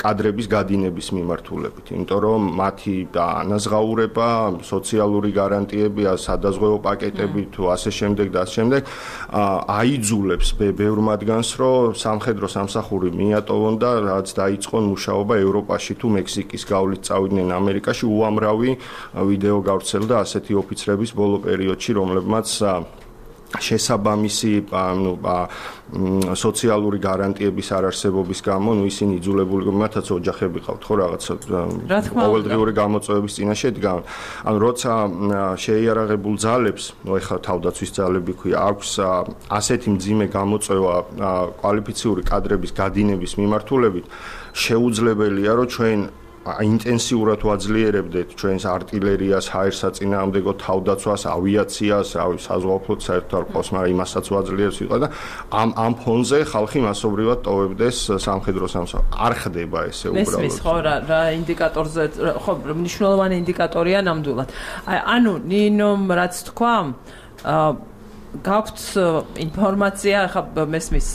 კადრების გადინების მიმართულებით იმიტომ რომ მათი ანაზღაურება სოციალური გარანტიები სადაზღვევო პაკეტები თუ ასე შემდეგ და ასე შემდეგ აიძულებს ბევრ მათგანს რომ სამხედრო სამსახური მიატოვონ და რაც დაიწყონ მუშაობა ევროპაში თუ მექსიკის გავლით წავიდნენ ამერიკაში უამრავი ვიდეო გავრცელდა ასეთი ოფიცრების ბოლო პერიოდში რომლებმაც შესაბამისი სოციალური გარანტიების არარსებობის გამო ისინი იძულებული მათაც ოჯახები ყავთ ხო რაღაცა ყოველდღიური გამოწვევების წინაშე დგან ანუ როცა შეიარაღებულ ძალებს ეხლა თავდაცვის ძალები ქვია აქვს ასეთი მძიმე გამოწვევა კვალიფიციური კადრების გადინების მიმართულებით შეუძლებელია რომ ჩვენ ინტენსიურად ვაძლიერებდეთ ჩვენს артиლერიას, ჰაერსაწინააღმდეგო თავდაცვას, ავიაციას, საზღვაო ფლოტს საერთოდ არ ყავს, მაგრამ იმასაც ვაძლიერებს ვიყო და ამ ფონზე ხალხი მასობრივად ტოვებდეს სამხედრო სამსახურს. არ ხდება ესე უბრალოდ. მესმის ხო რა ინდიკატორზე ხო მნიშვნელოვანი ინდიკატორია ნამდვილად. ანუ ნინომ რაც თქვა, გაქვთ ინფორმაცია, ხა მესმის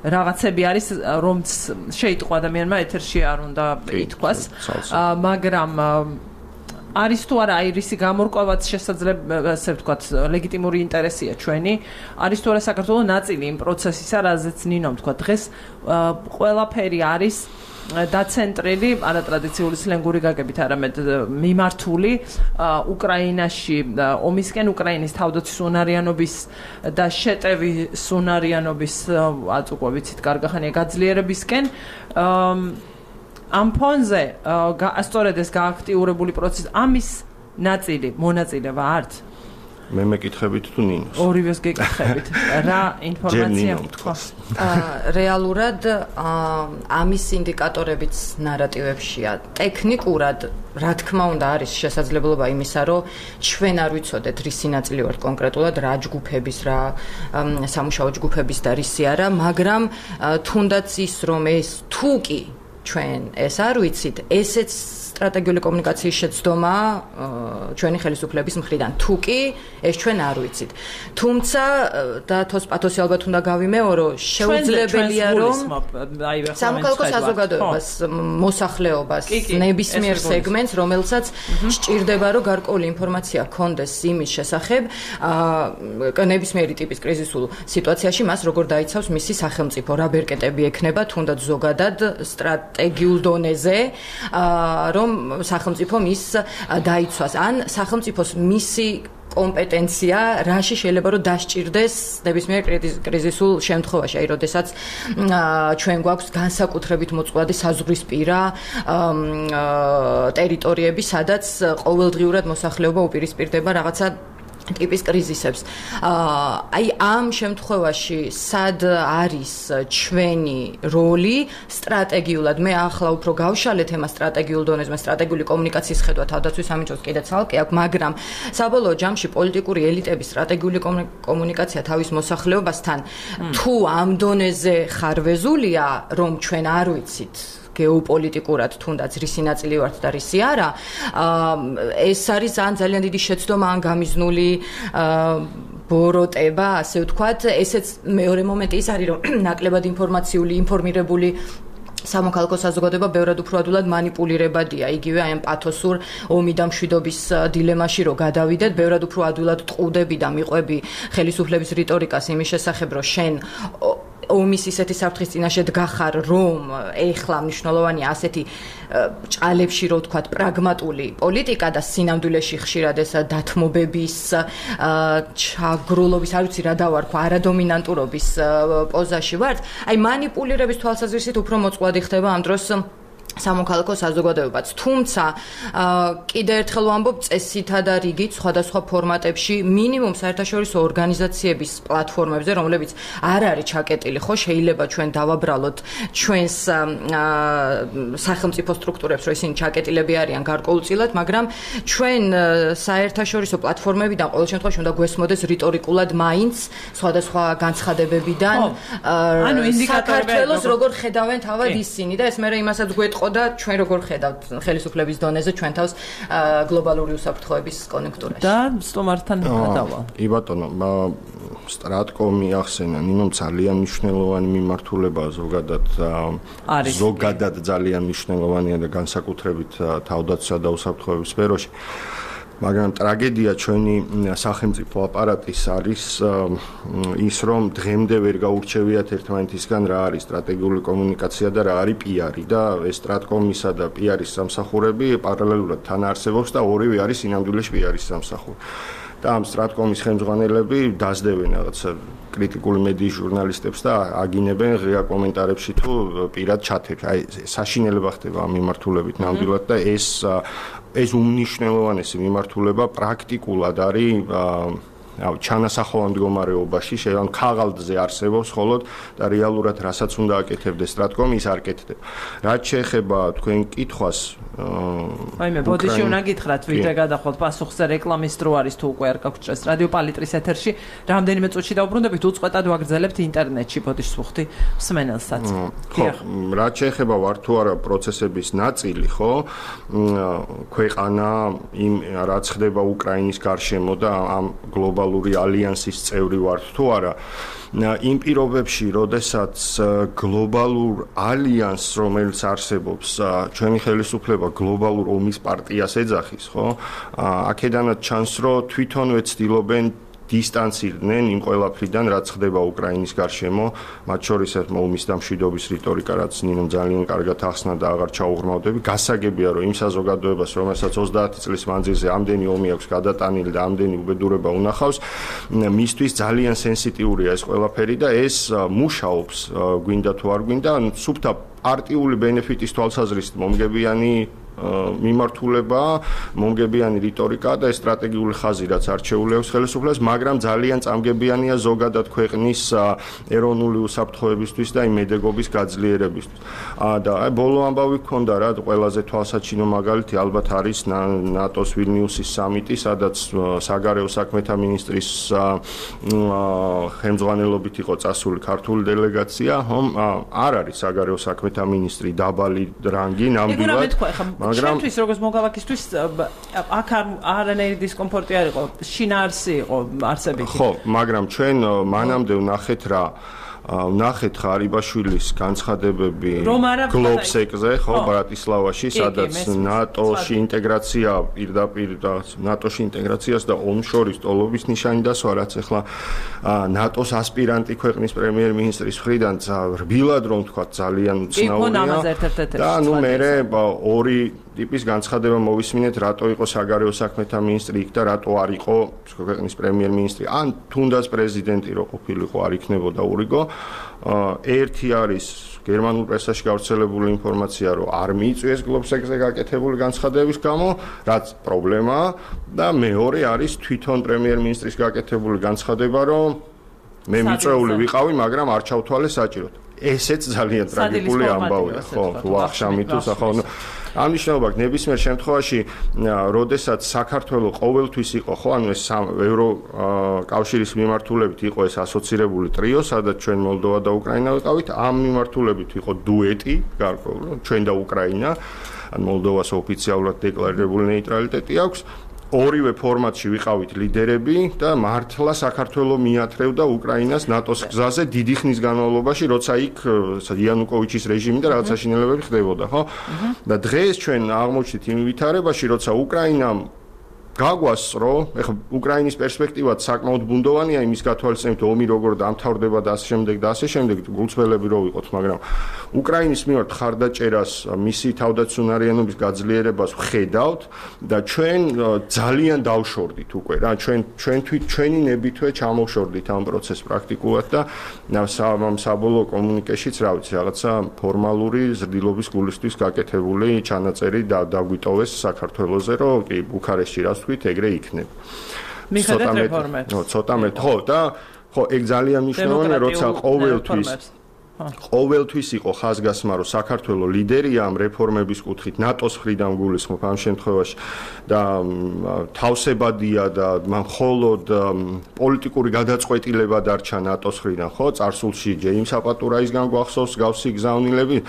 რაღაცები არის რომც შეიტყვა ადამიანმა ეთერში არ უნდა ითქვას მაგრამ არის თუ არა აი რისი გამორკვევაც შესაძლებელი ასე ვთქვათ ლეგიტიმური ინტერესია ჩვენი არის თუ არა საქართველოს ნაწილი იმ პროცესისა რაზეც ნინომ თქვა დღეს ყველაფერი არის დაცენტრილი არატრადიციული სლენგური გაგებით არამედ მიმართული უკრაინაში ომისკენ უკრაინის თავდაცვის უნარიანობის და შეტევის უნარიანობის აწუყვა ვიცით კარგახანია გაძლიერებისკენ ამ ფონზე სწორედ ეს გააქტიურებული პროცესი ამის ნაწილი მონაწილეობა ართ მე მეკითხებით თუ ნინოს ორივეს გეკითხებით რა ინფორმაცია თქვას რეალურად ამის ინდიკატორებიც ნარატივებშია ტექნიკურად რა თქმა უნდა არის შესაძლებლობა იმისა რომ ჩვენ არ ვიცოდეთ რისი ნაწილი ვართ კონკრეტულად რა ჯგუფების რა სამუშაო ჯგუფების და რისი არა მაგრამ თუნდაც ის რომ ეს თუ კი ჩვენ ეს არ ვიცით, ესეც სტრატეგიული კომუნიკაციის შეცდომა ჩვენი ხელისუფლების მხრიდან. თუ კი ეს ჩვენ არ ვიცით. თუმცა და თოსპათოსი ალბათ უნდა გავიმეორო, შეუძლებელია რომ სამოქალაქო საზოგადოებას, მოსახლეობას, ნებისმიერ სეგმენტს, რომელსაც სჭირდება რომ გარკვეული ინფორმაცია ჰქონდეს იმის შესახებ, ნებისმიერი ტიპის კრიზისულ სიტუაციაში მას როგორ დაიცავს მისი სახელმწიფო, რა ბერკეტები ექნება თუნდაც ზოგადად სტრატეგიულ დონეზე, რომ სახელმწიფო მის დაიცვას ან სახელმწიფოს მისი კომპეტენცია რაში შეიძლება რომ დასჭირდეს ნებისმიერ კრიზისულ შემთხვევაში, აი როდესაც ჩვენ გვაქვს განსაკუთრებით მოწყვლადი საზღვრისპირა ტერიტორიები, სადაც ყოველდღიურად მოსახლეობა უპირისპირდება რაღაცა ტიპის კრიზისებს. აი ამ შემთხვევაში სად არის ჩვენი როლი სტრატეგიულად? მე ახლა უფრო გავშალეთ ემას სტრატეგიულ დონეზე, სტრატეგიული კომუნიკაციის ხედვა თავდაცვის სამინისტროს კიდე ცალკე აქვს, მაგრამ საბოლოო ჯამში პოლიტიკური ელიტების სტრატეგიული კომუნიკაცია თავის მოსახლეობასთან თუ ამ დონეზე ხარვეზულია, რომ ჩვენ არ ვიცით გეოპოლიტიკურად თუნდაც რისი ნაწილი ვართ და რისი არა, ეს არის ძალიან დიდი შეცდომა ან გამიზნული ბოროტება, ასე ვთქვათ. ესეც მეორე მომენტი ის არის, რომ ნაკლებად ინფორმირებული სამოქალაქო საზოგადოება ბევრად უფრო ადვილად манипуლირებადია, იგივე აი ამ პათოსურ ომი და მშვიდობის დილემაში რო გადავიდეთ, ბევრად უფრო ადვილად ტყუდები და მიყვები ხელისუფლების რიტორიკას იმის შესახებ, რომ შენ ომის ისეთი საფრთხის წინაშე დგახარ, რომ ეხლა მნიშვნელოვანია ასეთი ჭალებში რო ვთქვათ პრაგმატული პოლიტიკა და სინამდვილეში ხშირად ეს დათმობების, ჩაგრულობის, არ ვიცი რა დავარქვა, არადომინანტურობის პოზაში ვართ. აი манипуლირების თვალსაზრისით უფრო მოწყვლადი ხდება ამ დროს სამოქალაქო საზოგადოებაც. თუმცა კიდევ ერთხელ ვამბობ, წესითა და რიგით სხვადასხვა ფორმატებში მინიმუმ საერთაშორისო ორგანიზაციების პლატფორმებზე, რომლებიც არ არის ჩაკეტილი, ხო, შეიძლება ჩვენ დავაბრალოთ ჩვენს სახელმწიფო სტრუქტურებს, რომ ისინი ჩაკეტილები არიან გარკვეულწილად, მაგრამ ჩვენ საერთაშორისო პლატფორმებიდან ყოველ შემთხვევაში უნდა გვესმოდეს რიტორიკულად მაინც სხვადასხვა განცხადებებიდან საქართველოს როგორ ხედავენ თავად ისინი და ეს მე იმასაც გვეტყო და ჩვენ როგორ ხედავთ ხელისუფლების დონეზე ჩვენ თავს გლობალური უსაფრთხოების კონიუნქტურაში. და სტომართან გადავალ. კი ბატონო, სტრატკომი ახსენა, ნინომ ძალიან მნიშვნელოვანი მიმართულებაა ზოგადად ძალიან მნიშვნელოვანია და განსაკუთრებით თავდაცვა და უსაფრთხოების სფეროში. მაგრამ ტრაგედია ჩვენი სახელმწიფო აპარატის არის ის, რომ დღემდე ვერ გაურჩევიათ ერთმანეთისგან რა არის სტრატეგიული კომუნიკაცია და რა არის პიარი და ეს სტრატკომისა და პიარის სამსახურები პარალელურად თან არსებობს და ორივე არის სინამდვილეში პიარის სამსახური. და ამ სტრატკომის ხელმძღვანელები დაძდევენ რაღაცა კრიტიკული მედიის ჟურნალისტებს და აგინებენ ღია კომენტარებში თუ პირად ჩათებ. აი საშინელება ხდება ამ მიმართულებით ნამდვილად და ეს უმნიშვნელოვანესი მიმართულება პრაქტიკულად არის ჩანასახოვან მდგომარეობაში, შეიძლება ქაღალდზე არსებობს მხოლოდ და რეალურად რასაც უნდა აკეთებდეს სტრატკომი, ის არ კეთდება. რაც შეეხება თქვენ კითხვას, მე ბოდიში უნდა გითხრათ, ვიდრე გადახვალთ პასუხზე რეკლამის დრო არის თუ უკვე არ გაგვჭრეს რადიო პალიტრის ეთერში, რამდენიმე წუთში დავბრუნდებით, უწყვეტად ვაგრძელებთ ინტერნეტში ბოდიშს ვუხდი მსმენელსაც. ხო, რაც შეეხება ვარ თუ არა პროცესების ნაწილი, ხო? ქვეყანა იმ რაც ხდება უკრაინის გარშემო და ამ გლობალური ალიანსის წევრი ვართ თუ არა, იმ პირობებში, როდესაც გლობალურ ალიანსს, რომელიც არსებობს, ჩვენი ხელისუფლება გლობალურ ომის პარტიას ეძახის, ხო? აქედანაც ჩანს, რომ თვითონვე ცდილობენ დისტანცირდნენ იმ ყველაფრიდან, რაც ხდება უკრაინის გარშემო, მათ შორის ომის და მშვიდობის რიტორიკა, რაც ნინომ ძალიან კარგად ახსნა და აღარ ჩაუღრმავდები. გასაგებია, რომ იმ საზოგადოებას, რომელსაც 30 წლის მანძილზე ამდენი ომი აქვს გადატანილი და ამდენი უბედურება უნახავს, მისთვის ძალიან სენსიტიურია ეს ყველაფერი და ეს მუშაობს, გვინდა თუ არ გვინდა, სუფთა პარტიული ბენეფიტის თვალსაზრისით მომგებიანი მიმართულება, მომგებიანი რიტორიკა და სტრატეგიული ხაზი, რაც არჩეული აქვს ხელისუფლებას, მაგრამ ძალიან წამგებიანია ზოგადად ქვეყნის ეროვნული უსაფრთხოებისთვის და იმედეგობის გაძლიერებისთვის. და ბოლო ამბავი გქონდა რა, ყველაზე თვალსაჩინო მაგალითი ალბათ არის ნატოს ვილნიუსის სამიტი, სადაც საგარეო საქმეთა მინისტრის ხელმძღვანელობით იყო წასული ქართული დელეგაცია, არ არის საგარეო საქმეთა მინისტრი დაბალი რანგი ნამდვილად, მაგრამ ჩვენთვის როგორც მოგავაკისთვის აქ არანაირი დისკომფორტი არ იყო, შინაარსი იყო არსებითი. ხო, მაგრამ ჩვენ მანამდე ვნახეთ ღარიბაშვილის განცხადებები გლობსეკზე, ხო, ბრატისლავაში, სადაც ნატოში ინტეგრაცია პირდაპირ და ნატოში ინტეგრაციას და ომს შორის ტოლობის ნიშანი დასვა, რაც ახლა ნატოს ასპირანტი ქვეყნის პრემიერ-მინისტრის მხრიდან რბილად რომ თქვა ძალიან უცნაურია. და ნუ მერე ორი ტიპის განცხადება მოვისმინეთ, რატო იყო საგარეო საქმეთა მინისტრი იქ და რატო არ იყო ქვეყნის პრემიერ-მინისტრი. ან თუნდაც პრეზიდენტი რო ყოფილიყო, არ იქნებოდა ურიგო. ერთი არის გერმანულ პრესაში გავრცელებული ინფორმაცია, რომ არ მიიწვიეს გლობსეკზე გაკეთებული განცხადებების გამო, რაც პრობლემაა და მეორე არის თვითონ პრემიერ-მინისტრის გაკეთებული განცხადება, რომ მე მიწვეული ვიყავი, მაგრამ არ ჩავთვალე საჭიროდ. ესეც ძალიან ტრაგიკული ამბავია, ხო, ვახშამი თუ ხო. ამ ნიშნულობა ნებისმიერ შემთხვევაში, როდესაც საქართველოს ყოველთვის იყო, ხო, ანუ ეს ევროკავშირის მიმართულებით იყო ეს ასოცირებული ტრიო, სადაც ჩვენ მოლდოვა და უკრაინა ვიყავით, ამ მიმართულებით იყო დუეტი, გარკვეულ, ჩვენ და უკრაინა, ან მოლდოვას ოფიციალურად დეკლარირებული ნეიტრალიტეტი აქვს. ორივე ფორმატში ვიყავით ლიდერები და მართლა საქართველოს მიათრევდა უკრაინას ნატოს გზაზე დიდი ხნის განმავლობაში, როცა იქ იანუკოვიჩის რეჟიმი და რაღაცა შინელებები ხდებოდა, ხო? და დღეს ჩვენ აღმოჩნდით იმ ვითარებაში, როცა უკრაინამ გაგვასწრო, ეხლა უკრაინის პერსპექტივაც საკმაოდ ბუნდოვანია იმის გათვალისწინებით, ომი როგორ დამთავრდება და ასე შემდეგ, გულწრფელები რო ვიყოთ, მაგრამ უკრაინის მიმართ ხარდაჭერას, მისი თავდაცუნარიანობის გაძლიერებას ვხედავთ და ჩვენ ძალიან დავშორდით უკვე რა, ჩვენი ნებითვე ჩამოვშორდით ამ პროცესს პრაქტიკულად და საბოლოო კომუნიკეშიც, რა ვიცი, რაღაცა ფორმალური ზრდილობის გულისთვის გაკეთებული ჩანაწერი დაგვიტოვეს საქართველოზე, რომ კი ბუქარესტში რას ეგრე იქნება. მიხედავთ რეფორმებს. ცოტა მეტ, ხო, და ხო, ეგ ძალიან მნიშვნელოვანია, როცა ყოველთვის იყო ხაზგასმა, რომ საქართველოს ლიდერია ამ რეფორმების კუთხით, ნატოს მხრიდან გულისხმობ ამ შემთხვევაში და თავსებადია და მხოლოდ პოლიტიკური გადაწყვეტილება დარჩა ნატოს მხრიდან, ხო, წარსულში ჯეიმს აპატურაისგან გვახსოვს გავსი გზავნილები.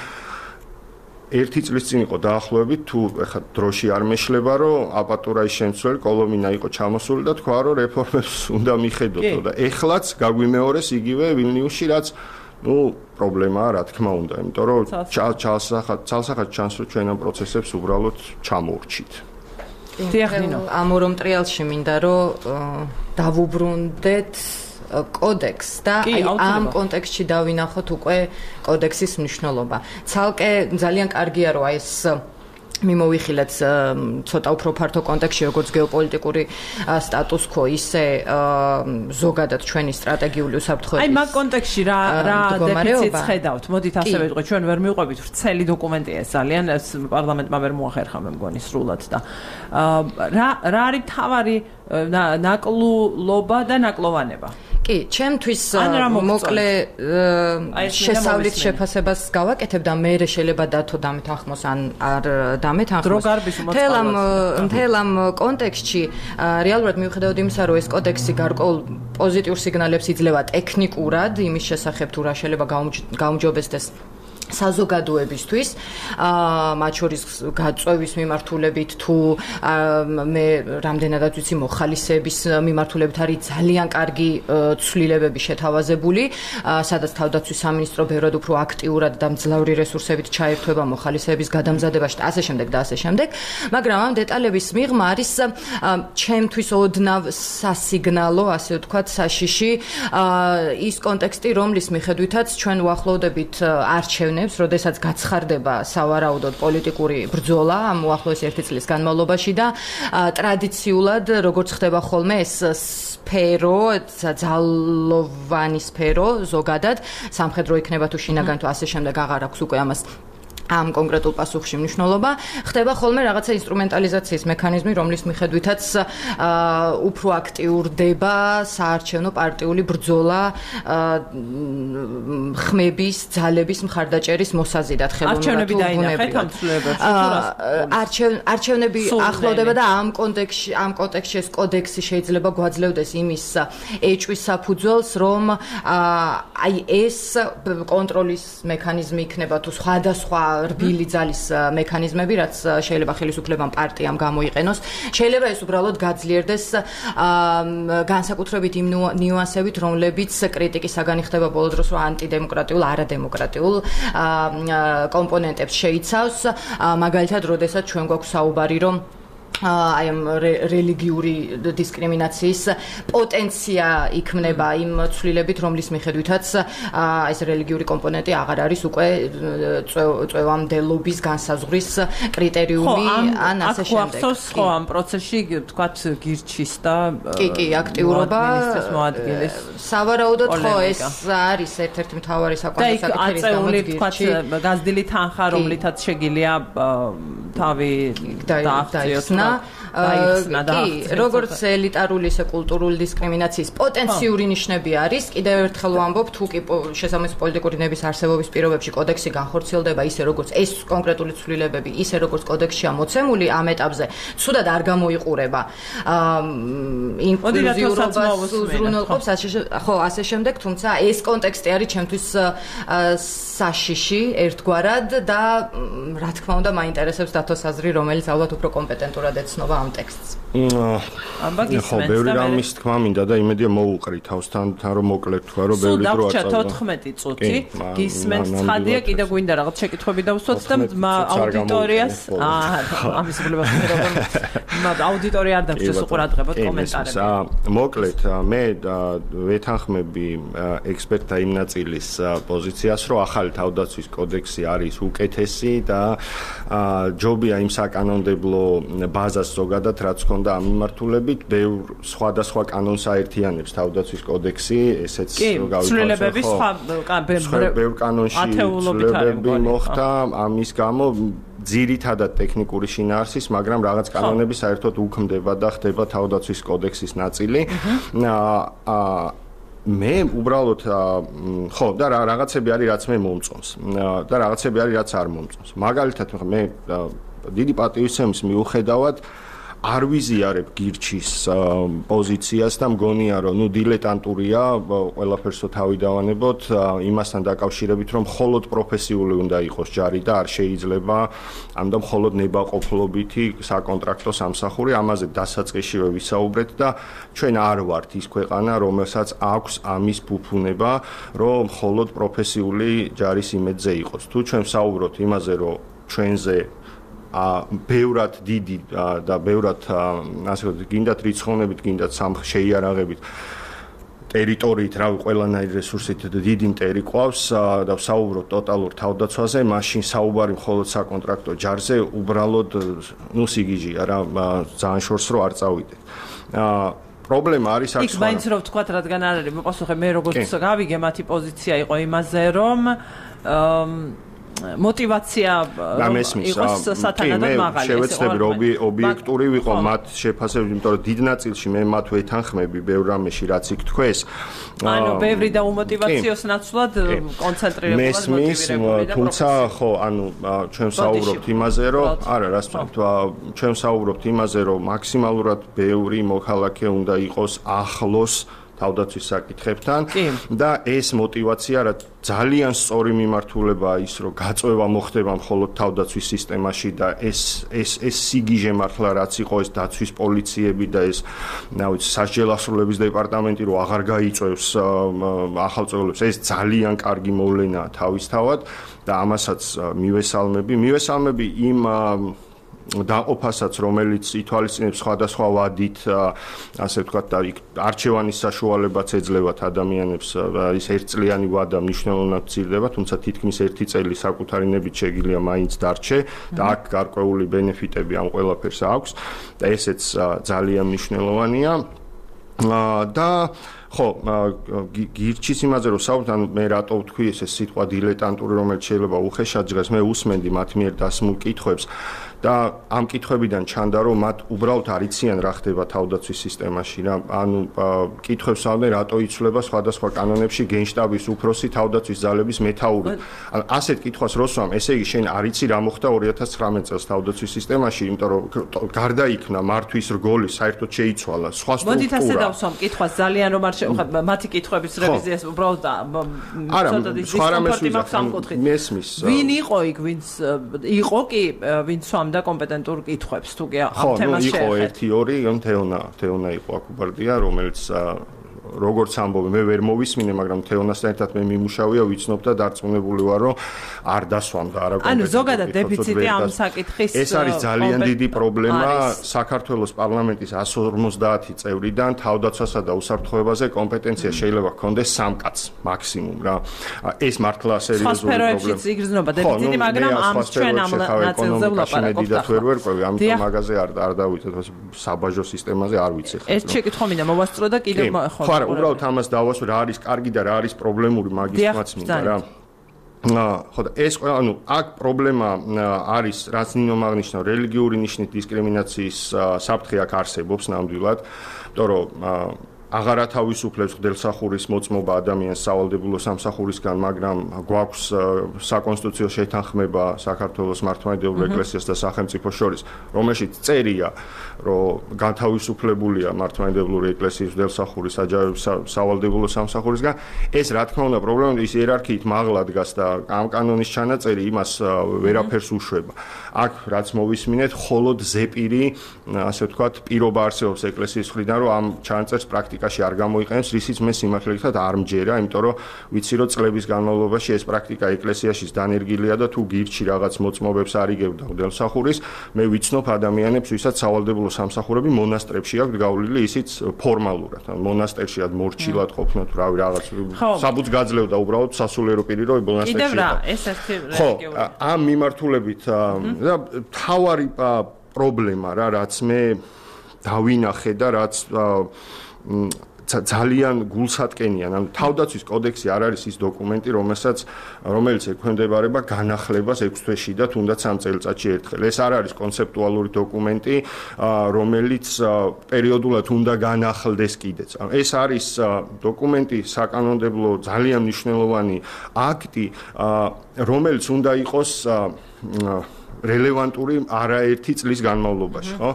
ერთი წლის წინ იყო დაახლოებით, თუ ეხლა დროში არ მეშლება, რომ აპატურაის შემცველი კოლომინა იყო ჩამოსული და თქვა, რომ რეფორმებს უნდა მიხედოთ და ეხლაც გაგვიმეორეს იგივე ვილნიუსში, რაც პრობლემაა, რა თქმა უნდა, იმიტომ რომ ცალსახად ჩანს, რომ ჩვენ ამ პროცესებს უბრალოდ ჩამოვრჩით. ამ ორ მტრიალში მინდა რომ დავუბრუნდეთ კოდექს და ამ კონტექსტში დავინახოთ უკვე კოდექსის მნიშვნელობა. ცალკე ძალიან კარგია რომ ეს მიმოვიხილეთ ცოტა უფრო ფართო კონტექსტში, როგორც გეოპოლიტიკური სტატუს კო, ისე ზოგადად ჩვენი სტრატეგიული უსაფრთხოების. აი, მაგ კონტექსტში რა დეფიციტს ხედავთ? მოდით ასევე ვიტყვი, ჩვენ ვერ მივყვებით ვრცელი დოკუმენტია ეს ძალიან, ეს პარლამენტმა ვერ მოახერხა მე მგონი სრულად და რა არის თავარი ნაკლულობა და ნაკლოვანება? კი, ჩემთვის მოკლე შესავლით შეფასებას გავაკეთებ და მე შეიძლება დათო დამეთანხმოს ან არ დამეთანხმოს. მთელ ამ კონტექსტში რეალურად მივხვდეთ იმისა, რომ ეს კოდექსი გარკვეულ პოზიტიურ სიგნალებს იძლევა ტექნიკურად იმის შესახებ, თუ რა შეიძლება გაუმჯობესდეს საზოგადოებისთვის, მათ შორის გაწვევის მიმართულებით თუ მე რამდენადაც ვიცი მოხალისეების მიმართულებით არის ძალიან კარგი ცვლილებები შეთავაზებული, სადაც თავდაცვის სამინისტრო ბევრად უფრო აქტიურად და მძლავრი რესურსებით ჩაერთვება მოხალისეების გადამზადებაში და ასე შემდეგ და ასე შემდეგ, მაგრამ ამ დეტალების მიღმა არის ჩემთვის ოდნავ სასიგნალო, ასე ვთქვათ, საშიში ის კონტექსტი, რომლის მიხედვითაც ჩვენ ვახლოვდებით არჩევნებს, როდესაც გაცხარდება სავარაუდოდ პოლიტიკური ბრძოლა ამ უახლოეს 1 წლის განმავლობაში და ტრადიციულად როგორც ხდება ხოლმე ეს სფერო, ძალოვანი სფერო ზოგადად, სამხედრო იქნება თუ შინაგანი თუ ასე შემდეგ აღარ აქვს უკვე ამას ამ კონკრეტულ პასუხში მნიშვნელობა ხდება ხოლმე რაღაცა ინსტრუმენტალიზაციის მექანიზმი, რომლის მიხედვითაც უფრო აქტიურდება საარჩევნო პარტიული ბრძოლა ხმების, ძალების მხარდაჭერის მოსაზიდად ხელოვნურად თუ ბუნებრივად. არჩევნები ახლოვდება და ამ კონტექსტში ეს კოდექსი შეიძლება გვაძლევდეს იმის ეჭვის საფუძველს, რომ აი ეს კონტროლის მექანიზმი იქნება თუ სხვადასხვა რბილი ძალის მექანიზმები, რაც შეიძლება ხელისუფლებამ პარტიამ გამოიყენოს. შეიძლება ეს უბრალოდ გაძლიერდეს განსაკუთრებით იმ ნიუანსებით, რომლებიც კრიტიკისაგან ხდება ბოლო დროს, რომ ანტიდემოკრატიულ, არადემოკრატიულ კომპონენტებს შეიცავს. მაგალითად, როდესაც ჩვენ გვაქვს საუბარი, რომ აი ამ რელიგიური დისკრიმინაციის პოტენცია იქმნება იმ ცვლილებით, რომლის მიხედვითაც ეს რელიგიური კომპონენტი აღარ არის უკვე წვევამდელობის განსაზღვრის კრიტერიუმი ან ასე შემდეგ. ხო, ამ პროცესში თქვათ გირჩის და კი, აქტიურობა მინისტრის მოადგილის. სავარაუდოდ ხო, ეს არის ერთ-ერთი მთავარი საკონდენსატი საკითხი, თქვათ გაზრდილი თანხა, რომლითაც შეგიძლია თავი დაახციოს. კი, როგორც ელიტარული ისე კულტურული დისკრიმინაციის პოტენციური ნიშნები არის, კიდევ ერთხელ ვამბობ, თუ კი შესაბამისი პოლიტიკური ნების არსებობის პირობებში კოდექსი განხორციელდება ისე როგორც ეს კონკრეტული ცვლილებები, ისე როგორც კოდექსშია მოცემული ამ ეტაპზე, ცუდად არ გამოიყურება ინკლუზიურობას, უზრუნველყოფს, ხო, ასე შემდეგ, თუმცა ეს კონტექსტი არის ჩემთვის საშიში ერთგვარად და რა თქმა უნდა მაინტერესებს დათოს აზრი, რომელიც ალბათ უფრო კომპეტენტურად ეცნობა ამ ტექსტს. ხო, ბევრი რამის თქმა მინდა და იმედია მოუყრი თავსთან, რომ მოკლედ თქვა, რომ ბევრი დრო აწავდა. 14 წუთი. გისმენთ, ცხადია, კიდე გვინდა რაღაც შეკითხვები დავუსვათ და აუდიტორიას, ამის უბრალოდ აუდიტორია არ დაგვჭირს უყურადღებოთ კომენტარები. მოკლედ, მე ვეთანხმები ექსპერტთა იმ ნაწილის პოზიციას, რომ ახალი თავდაცვის კოდექსი არის უკეთესი და ჯობია იმ საკანონმდებლო ბაზას ზოგადად რაც ქონდა ამ მიმართულებით, ბევრ სხვადასხვა კანონს აერთიანებს თავდაცვის კოდექსი, ესეც ცვლილებების ბევრ კანონში ცვლილებები მოხდა, ამის გამო ძირითადად ტექნიკური შინაარსის, მაგრამ რაღაც კანონები საერთოდ უქმდება და ხდება თავდაცვის კოდექსის ნაწილი. მე უბრალოდ ხო და რაღაცები არის რაც მე მომწონს და რაღაცები არის რაც არ მომწონს. მაგალითად მე დიდი პატივისცემის მიუხედავად არ ვიზიარებ გირჩის პოზიციას და მგონია რომ დილეტანტურია ყველაფერსო თავი დავანებოთ იმასთან დაკავშირებით რომ მხოლოდ პროფესიული უნდა იყოს ჯარი და არ შეიძლება ამდა მხოლოდ ნებაყოფლობითი საკონტრაქტო სამსახური ამაზე დასაწყისშივე ვისაუბრეთ და ჩვენ არ ვართ ის ქვეყანა რომელსაც აქვს ამის ფუფუნება რომ მხოლოდ პროფესიული ჯარის იმედზე იყოს თუ ჩვენ ვსაუბრობთ იმაზე რომ ჩვენზე ბევრად დიდი და ბევრად ასე ვთქვათ, გინდათ რიცხოვნებით, გინდათ შეიარაღებით ტერიტორიით, რავი, ყველანაირი რესურსით დიდი მტერი ყავს და ვსაუბრობთ ტოტალურ თავდაცვაზე, მაშინ საუბარი მხოლოდ საკონტრაქტო ჯარზე უბრალოდ სიგიჟია რა, ძალიან შორს რო არ წავიდეთ. პრობლემა არის აქ. იქ მაინც რო ვთქვათ, რადგან არ არის მოპასუხე მე როგორც გავიგე, მათი პოზიცია იყო იმაზე, რომ мотивация იყოს სათანადოდ მაღალი. შევეცდები რომ ობიექტური ვიყო მათ შეფასებით, იმიტომ რომ დიდ ნაწილში მე მათ ვეთანხმები ბევრ რამეში რაც იქ თქვეს. ანუ ბევრი და უმოტივაციოს ნაცვლად კონცენტრირებულად მოტივირებული და თუმცა ხო, ანუ ჩვენ ვსაუბრობთ იმაზე, რომ არა, რას ვთქვა, ჩვენ ვსაუბრობთ იმაზე, რომ მაქსიმალურად ბევრი მოქალაქე უნდა იყოს ახლოს თავდაცვის საკითხებთან და ეს мотивация რა ძალიან სწორი მიმართულებაა ის რომ გაწევა მოხდება მხოლოდ თავდაცვის სისტემაში და ეს სიგიჟე მართლა რაც იყო ეს დაცვის პოლიციები და ეს სასჯელასრულების დეპარტამენტი რომ აღარ გაიწევს ახალწეულებს ეს ძალიან კარგი მოვლენაა თავისთავად და ამასაც მივესალმები იმ დაყოფასაც რომელიც ითვალისწინებს სხვადასხვა ვადით ასე ვთქვათ და არჩევანის საშუალებაც ეძლევათ ადამიანებს ის ერთწლიანი ვადა მნიშვნელოვნად მცირდება თუმცა თითქმის 1 წელი საკუთარი ნებით შეგიძლია მაინც დარჩე და აქ გარკვეული ბენეფიტები ამ ყველაფერს აქვს და ესეც ძალიან მნიშვნელოვანია და ხო, გირჩის იმაზე რომ საუბრობთ, ანუ მე რატო ვთქვი ეს სიტყვა დილეტანტური, რომელიც შეიძლება უხეშად ჟღერს, მე უსმენდი მათ მიერ დასმულ კითხვებს და ამ კითხვებიდან ჩანდა რომ მათ უბრალოდ არ იციან რა ხდება თავდაცვის სისტემაში რა, ანუ კითხვებს ავდნენ რატო იცვლება სხვადასხვა კანონებში გენშტაბის უფროსი თავდაცვის ძალების მეთაური. ანუ ასეთ კითხვას როსვამ, ესე იგი შენ არ იცი რა მოხდა 2019 წელს თავდაცვის სისტემაში, იმიტომ რომ გარდაიქმნა მართვის რგოლი, საერთოდ შეიცვალა სხვა სტრუქტურა. მოდით ასე დავსვამ კითხვას ძალიან რომ არ მათი კითხვების რევიზიას უბრალოდ ცოტა დისკომფორტი მაქვს ამ კუთხით. მესმის. ვინ იყო იქ, ვინც იყო კი, ვინც სვამდა კომპეტენტურ კითხვებს, თუ კი ამ თემას იყო შეეხეთ. 1-2 თეონა იყო აკუბარდია, რომელიც როგორც ამბობენ, მე ვერ მოვისმინე, მაგრამ თეონასთან ერთად მე მიმუშავია, ვიცნობ და დარწმუნებული ვარ, რომ არ დასვამდა არა კომპეტენტური. ანუ ზოგადად დეფიციტი ამ საკითხის ეს არის ძალიან დიდი პრობლემა საქართველოს პარლამენტის 150 წევრიდან თავდაცვასა და უსაფრთხოებაზე კომპეტენცია შეიძლება ჰქონდეს 3 კაცს მაქსიმუმ რა. ეს მართლა სერიოზული პრობლემაა. სფეროებშიც იგრძნობა დეფიციტი, მაგრამ ამ ჩვენ ამ ნაწილზე ვლაპარაკობთ. ვერ ვერკვევი, ამიტომ მაგაზე არ დავიცეთ, საბაჟო სისტემაზე არ ვიცი ხა. ეს შეკითხვა მინდა მოვასწრო და კიდევ ხო არა, უბრალოდ ამას დავასვე რა არის კარგი და რა არის პრობლემური მაგის თმაც მინდა რა. ხო და ეს ანუ აქ პრობლემა არის რაც ნინომ აღნიშნა რელიგიური ნიშნით დისკრიმინაციის საფრთხე აქ არსებობს ნამდვილად, იმიტომ რომ აღარ ათავისუფლებს ღმერთსახურის მოწმობა ადამიანს სავალდებულო სამსახურისგან, მაგრამ გვაქვს საკონსტიტუციო შეთანხმება საქართველოს მართლმადიდებლურ ეკლესიას და სახელმწიფოს შორის, რომელშიც წერია, რომ განთავისუფლებულია მართლმადიდებლური ეკლესიის ღმერთსახურის სავალდებულო სამსახურისგან. ეს რა თქმა უნდა პრობლემა ის იერარქიით მაღლა დგას და ამ კანონის ჩანაწერი იმას ვერაფერს უშვება. აქ რაც მოვისმინეთ, მხოლოდ ზეპირი, ასე ვთქვათ, პირობა არსებობს ეკლესიის მხრიდან, რომ ამ ჩანაწერს პრაქტიკაში არ გამოიყენებს, რისიც მე სიმართლე გითხრათ არ მჯერა, იმიტომ რომ ვიცი რომ წლების განმავლობაში ეს პრაქტიკა ეკლესიაშიც დანერგილია და თუ გირჩი რაღაც მოწმობებს არიგებდა ღმერთსახურის, მე ვიცნობ ადამიანებს, ვისაც სავალდებულო სამსახურები მონასტრებში აქვს გავლილი, ისიც ფორმალურად. მონასტერში მორჩილად ყოფნა თუ რავი რაღაც საბუთს გაძლევდა უბრალოდ სასულიერო პირი რომ მონასტერში. კიდევ რა, ეს ერთი რელიგიური. ხო, ამ მიმართულებით და თავარი პრობლემა რა, რაც მე დავინახე და რაც ძალიან გულსატკენიან. ანუ თავდაცვის კოდექსი არ არის ის დოკუმენტი, რომელიც ექვემდებარება განახლებას 6 თვეში და თუნდაც 3 წელიწადში ერთხელ. ეს არ არის კონცეპტუალური დოკუმენტი, რომელიც პერიოდულად უნდა განახლდეს კიდეც. ეს არის დოკუმენტი საკანონმდებლო ძალიან მნიშვნელოვანი აქტი, რომელიც უნდა იყოს რელევანტური არაერთი წლის განმავლობაში, ხო?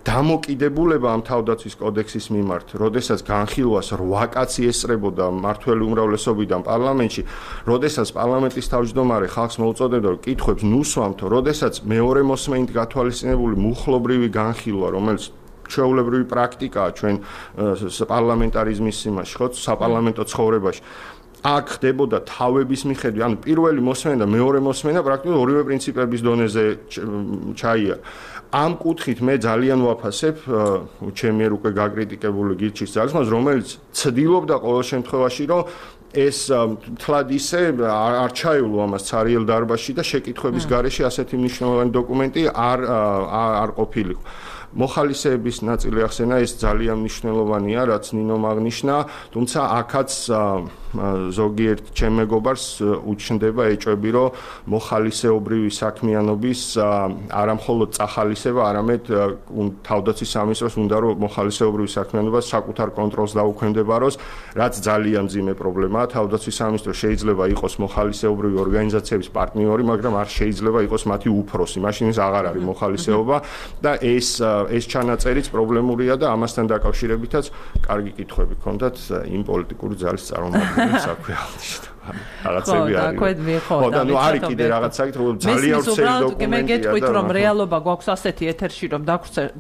დამოკიდებულება ამ თავდაცვის კოდექსის მიმართ, როდესაც განხილვას 8 კაცი ესწრებოდა მართველი უმრავლესობიდან პარლამენტში, როდესაც პარლამენტის თავმჯდომარე ხალხს მოუწოდებდა, რომ კითხვებს ნუსვამთო, როდესაც მეორე მოსმენით გათვალისწინებული მუხლობრივი განხილვა, რომელიც ჩვეულებრივი პრაქტიკაა ჩვენ პარლამენტარიზმის იმაში, ხო, საპარლამენტო ცხოვრებაში. აქ ხდებოდა თავების მიხედვით, ანუ პირველი მოსმენა და მეორე მოსმენა პრაქტიკულად ორივე პრინციპების დონეზე ჩაია. ამ კუთხით მე ძალიან ვაფასებ ჩემი უკვე გაკრიტიკებული გირჩის ძალისხმევას, რომელიც ცდილობდა ყოველ შემთხვევაში, რომ ეს თლად ისე არ ჩაივლო ამას ცარიელ დარბაზში და შეკითხვების გარეშე ასეთი მნიშვნელოვანი დოკუმენტი არ ყოფილიყო. მოხალისეების ნაწილი ახსენა, ეს ძალიან მნიშვნელოვანია, რაც ნინომ აღნიშნა, თუმცა აქაც ზოგიერთ ჩემ მეგობარს უჩნდება ეჭვები, რომ მოხალისეობრივი საქმიანობის არა მხოლოდ წახალისება, არამედ თავდაცვის სამინისტროს უნდა რომ მოხალისეობრივი საქმიანობა საკუთარ კონტროლს დაუქვემდებაროს, რაც ძალიან მძიმე პრობლემაა. თავდაცვის სამინისტრო შეიძლება იყოს მოხალისეობრივი ორგანიზაციების პარტნიორი, მაგრამ არ შეიძლება იყოს მათი უფროსი. მაშინ ეს აღარ არის მოხალისეობა და ეს ჩანაწერიც პრობლემურია და ამასთან დაკავშირებითაც კარგი კითხვები ჰქონდათ იმ პოლიტიკური ძალის წარმომადგენლებს საქმე აღნიშნავ. რაღაცები არის. ხო, და ნუ არის კიდე რაღაც საკითხი, ძალიან ვრცელი დოკუმენტია. მე გეტყვით, რომ რეალობა გვაქვს ასეთი ეთერში, რომ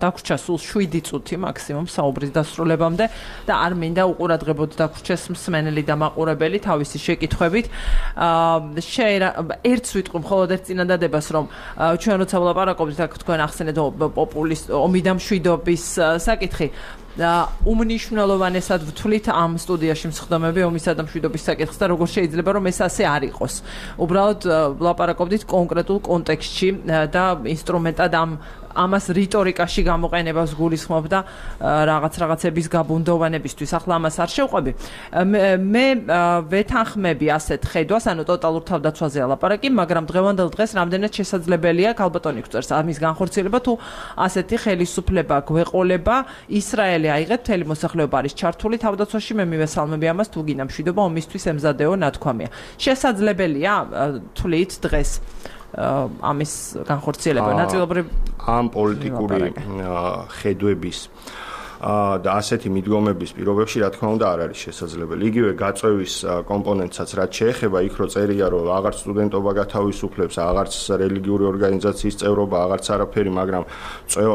დაგვრჩა სულ 7 წუთი მაქსიმუმ საუბრის დასრულებამდე და არ მინდა უყურადღებოდ დაგვრჩეს მსმენელი და მაყურებელი თავისი შეკითხვებით. ერთს ვიტყვი მხოლოდ ერთ წინადადებას, რომ ჩვენ როცა ვლაპარაკობთ, აქ თქვენ ახსენეთ ომი და მშვიდობის საკითხი. უმნიშვნელოვანესად ვთვლით ამ სტუდიაში მსხდომები ომისა და მშვიდობის საკითხს და როგორ შეიძლება რომ ეს ასე არ იყოს. უბრალოდ ვლაპარაკობდით კონკრეტულ კონტექსტში და ინსტრუმენტად ამ ამას რიტორიკაში გამოყენებას გულისხმობ და რაღაცების გაბუნდოვანებისთვის. ახლა ამას არ შევყვები. მე ვეთანხმები ასეთ ხედვას, ანუ ტოტალურ თავდაცვაზე ალაპარაკი, მაგრამ დღევანდელ დღეს რამდენად შესაძლებელია ქალბატონი გვწერს ამის განხორციელება თუ ასეთი ხელისუფლება გვეყოლება, ისრაელი აიღეთ მთელი მოსახლეობა არის ჩართული თავდაცვაში, მე მივესალმები ამას თუ გინდა მშვიდობა ომისთვის ემზადეო ნათქვამია. შესაძლებელია თვლით დღეს ამის განხორციელება ნაწილობრივ ამ პოლიტიკური ხედვების და ასეთი მიდგომების პირობებში რა თქმა უნდა არ არის შესაძლებელი. იგივე გაწევის კომპონენტსაც რაც შეეხება იქ რო წერია რომ აღარც სტუდენტობა გათავისუფლებს, აღარც რელიგიური ორგანიზაციის წევრობა, აღარც არაფერი, მაგრამ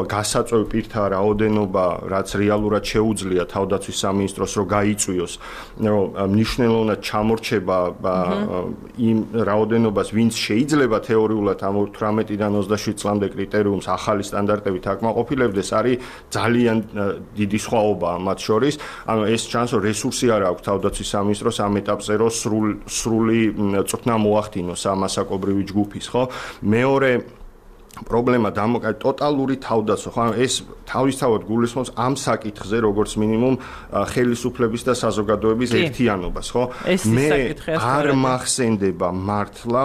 გასაწვევ პირთა რაოდენობა, რაც რეალურად შეუძლია თავდაცვის სამინისტროს რომ გაიწვიოს, რომ მნიშვნელოვნად ჩამორჩება იმ რაოდენობას, ვინც შეიძლება თეორიულად ამ 18-დან 27 წლამდე კრიტერიუმს ახალი სტანდარტებით აკმაყოფილებდეს, არის ძალიან დიდი სხვაობაა მათ შორის. ანუ ეს ჩანს, რომ რესურსი არ აქვს თავდაცვის სამინისტროს ამ ეტაპზე, რომ სრული წვრთნა მოახდინოს ამ მასაკობრივი ჯგუფის, ხო? მეორე პრობლემა ტოტალური თავდაცვა, ხო? ეს თავისთავად გულისხმობს ამ საკითხზე, როგორც მინიმუმ ხელისუფლების და საზოგადოების ერთიანობას, ხო? მე არ მახსენდება მართლა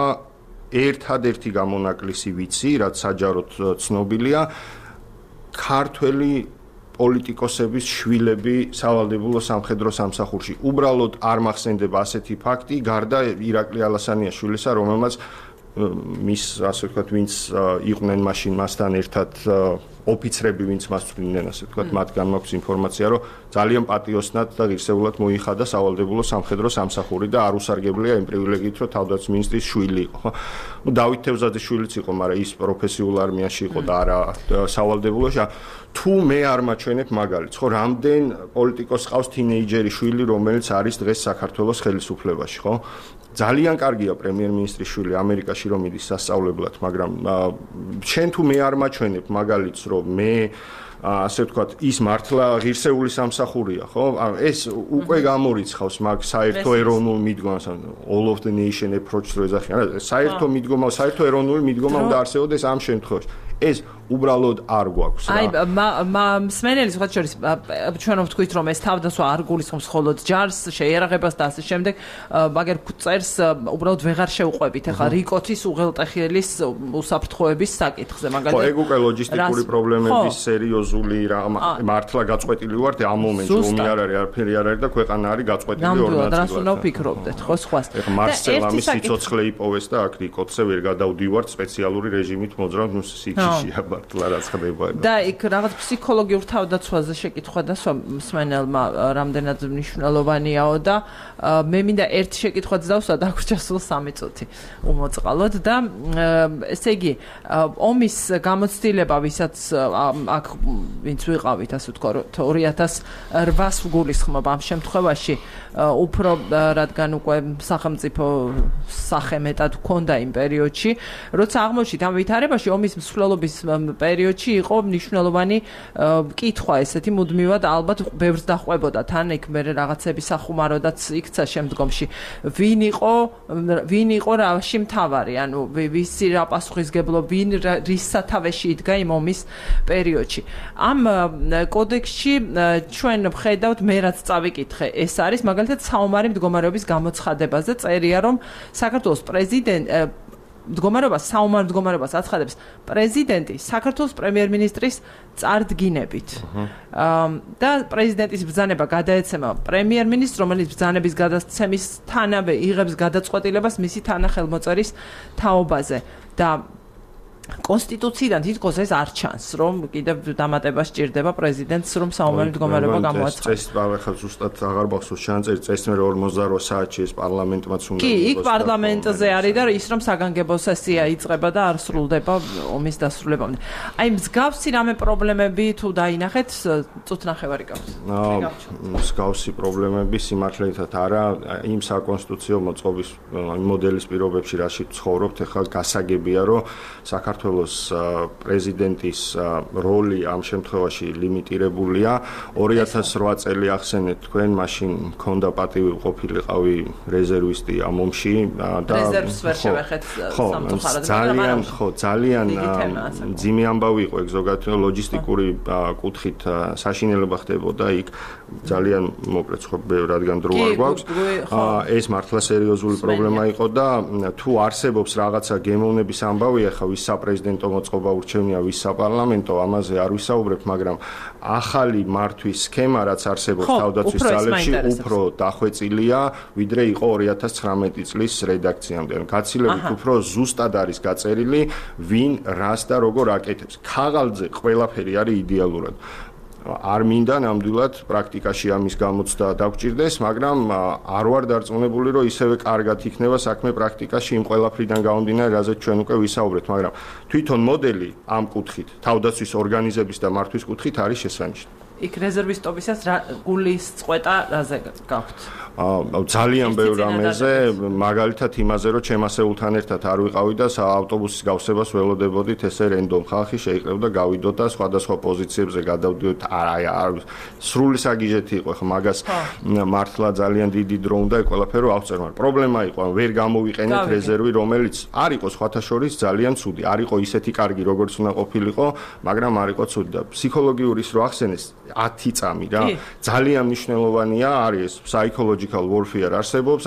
ერთადერთი გამონაკლისი ვიცი, რაც საჯაროდ ცნობილია, ქართველი პოლიტიკოსების შვილები სავალდებულო სამხედრო სამსახურში. უბრალოდ არ მახსენდება ასეთი ფაქტი, გარდა ირაკლი ალასანიაშვილისა, რომელმაც მის, ასე ვთქვათ, ვინც იყვნენ მაშინ მასთან ერთად ოფიცრები, ვინც მას წვრთნდნენ, ასე ვთქვათ, მათგან მაქვს ინფორმაცია, რომ ძალიან პატიოსნად და ღირსეულად მოიხადა სავალდებულო სამხედრო სამსახური და არ უსარგებლია იმ პრივილეგიით, რომ თავდაცვის მინისტრის შვილი იყო, ხო? დავით თევზაძის შვილიც იყო, მაგრამ ის პროფესიულ არმიაში იყო და არა სავალდებულოში. თუ მე არ მაჩვენებ მაგალითს, ხო, რამდენ პოლიტიკოს ყავს თინეიჯერი შვილი, რომელიც არის დღეს საქართველოს ხელისუფლებაში, ხო? ძალიან კარგია პრემიერ-მინისტრის შვილი ამერიკაში რომ მიდის სასწავლებლად, მაგრამ შენ თუ მე არ მაჩვენებ მაგალითს, რომ მე ასე ვთქვათ, ის მართლა ღირსეული სამსახურია, ხო? ეს უკვე გამორიცხავს მაგ საერთო ეროვნულ მიდგომას, all of the nation approach-ს რო ეძახიან. საერთო მიდგომა, საერთო ეროვნული მიდგომა უნდა არსებობდეს ამ შემთხვევაში. ეს უბრალოდ არ გვაქვს რა. აი, მსმენელი სხვა შორის ჩვენ ვთქვით, რომ ეს თავდაცვა არ გულისხმობს მხოლოდ ჯარს, შეიარაღებას და ასე შემდეგ, მაგრამ წერს უბრალოდ ვეღარ შევყვებით. ახლა რიკოთის უღელტეხილის უსაფრთხოების საკითხზე, მაგალითად. ხო, ეგ უკვე ლოჯისტიკური პრობლემების სერიოზული რა, მართლა გაწყვეტილი ვართ ამ მომენტში, ომი არ არის, არაფერი არ არის და ქვეყანა არის გაწყვეტილი ორ ნაწილად. რას უნდა ვფიქრობდეთ, ხო, სხვას. ეხლა მარსელამის სიცოცხლე იპოვეს და აქ რიკოთზე ვერ გადავდივართ სპეციალური რეჟიმით მოძრავ სიჩიშია მართლა რაც ხდება. და იქ რაღაც ფსიქოლოგიურ თავდაცვაზე შეკითხვა და მსმენელმა რამდენად მნიშვნელოვანიაო და მე მინდა ერთ შეკითხვაც დავსვა და აქვს ჩასულ 3 წუთი უმოწყალოდ და ესე იგი ომის გამოცდილება, ვისაც აქ ვინც ვიყავით, ასე ვთქვა, 2008-ს ვგულისხმობ ამ შემთხვევაში, უფრო რადგან უკვე სახელმწიფო სახე მეტად ჰქონდა იმ პერიოდში, როცა აღმოჩნდით ამ ვითარებაში ომის მსვლელობის პერიოდში იყო მნიშვნელოვანი კითხვა, ესეთი მუდმივად ალბათ ბევრს დახვებოდა თან იქ მე რაღაცების სახუმაროდაც იქცა შემდგომში. ვინ იყო რაში მთავარი, ანუ ვისი რა პასუხისგებლო, ვინ რის სათავეში იდგა იმ ომის პერიოდში. ამ კოდექსში ჩვენ ვხედავთ, მე რაც წავიკითხე, ეს არის მაგალითად საომარი მდგომარეობის გამოცხადებაზე წერია, რომ საქართველოს საომარ მდგომარეობას აცხადებს პრეზიდენტი საქართველოს პრემიერ-მინისტრის წარდგინებით. და პრეზიდენტის ბრძანება გადაეცემა პრემიერ-მინისტრს, რომელიც ბრძანების გადაცემისთანავე იღებს გადაწყვეტილებას მისი თანახელმოწერის თაობაზე და კონსტიტუციიდან თითქოს ეს არ ჩანს, რომ კიდევ დამატება სჭირდება პრეზიდენტს, რომ საომარი მდგომარეობა გამოაცხადოს. ახლა ზუსტად აღარ მახსოვს ჩანაწერი წესმე 48 საათში ეს პარლამენტმაც უნდა. კი, იქ პარლამენტზე არის და ის რომ საგანგებო სესია იწყება და არ სრულდება ომის დასრულებამდე. აი, მსგავსი რამე პრობლემები თუ დაინახეთ, წუთნახევარი გავს. მსგავსი პრობლემები სიმართლეითაც არა, იმ საკონსტიტუციო მოწყობის მოდელის პირობებში, რაში ცხოვრობთ, ახლა გასაგებია, რომ საქართველოს საქართველოს პრეზიდენტის როლი ამ შემთხვევაში ლიმიტირებულია. 2008 წელი ახსენეთ თქვენ, მაშინ მქონდა პატივი ყოფილიყავი რეზერვისტი ამ ომში და რეზერვს ვერ შევეხეთ სამწუხაროდ. ძალიან ძიმე ამბავი იყო ეგ ზოგადად ლოჯისტიკური კუთხით საშინელება ხდებოდა იქ ძალიან მოკლედ ხო რადგან დრო არ გვაქვს. ეს მართლა სერიოზული პრობლემა იყო და თუ არსებობს რაღაცა გემოვნების ამბავი, ახლა ვის საპრეზიდენტო მოწყობა ურჩევნია, ვის საპარლამენტო, ამაზე არ ვისაუბრებ, მაგრამ ახალი მართვის სქემა, რაც არსებობს თავდაცვის ძალებში, უფრო დახვეწილია, ვიდრე იყო 2019 წლის რედაქციამდე. გაცილებით უფრო ზუსტად არის გაწერილი, ვინ რას და როგორ აკეთებს. ქაღალდზე ყველაფერი არის იდეალურად. არ მინდა ნამდვილად პრაქტიკაში ამის გამოცდა დაგვჭირდეს, მაგრამ არ ვარ დარწმუნებული, რომ ისევე კარგად იქნება საქმე პრაქტიკაში იმ ყველაფრიდან გამომდინარე, რაზეც ჩვენ უკვე ვისაუბრეთ, მაგრამ თვითონ მოდელი ამ კუთხით, თავდაცვის ორგანიზების და მართვის კუთხით არის შესანიშნავი. იქ რეზერვისტობისას გულის წყვეტა რაზე გაქვთ? ძალიან ბევრ რამეზე, მაგალითად იმაზე, რომ ჩემ ასეულთან ერთად არ ვიყავი და ავტობუსის გავსებას ველოდებოდით, ესე რენდომ ხალხი შეიკრებდა, გავიდოთ და სხვადასხვა პოზიციებზე გადავდივდით. სრული საგიჟეთი იყო, ხო, მაგას მართლა ძალიან დიდი დრო უნდა ყველაფერი ავწერ, მაგრამ პრობლემა იყო, ვერ გამოვიყენეთ რეზერვი, რომელიც არ იყო სხვათა შორის ძალიან ცუდი. არ იყო ისეთი კარგი, როგორც უნდა ყოფილიყო, მაგრამ არ იყო ცუდი და ფსიქოლოგიური რო ახსენეს 10 წამი რა. ძალიან მნიშვნელოვანია არის psychological warfare არსებობს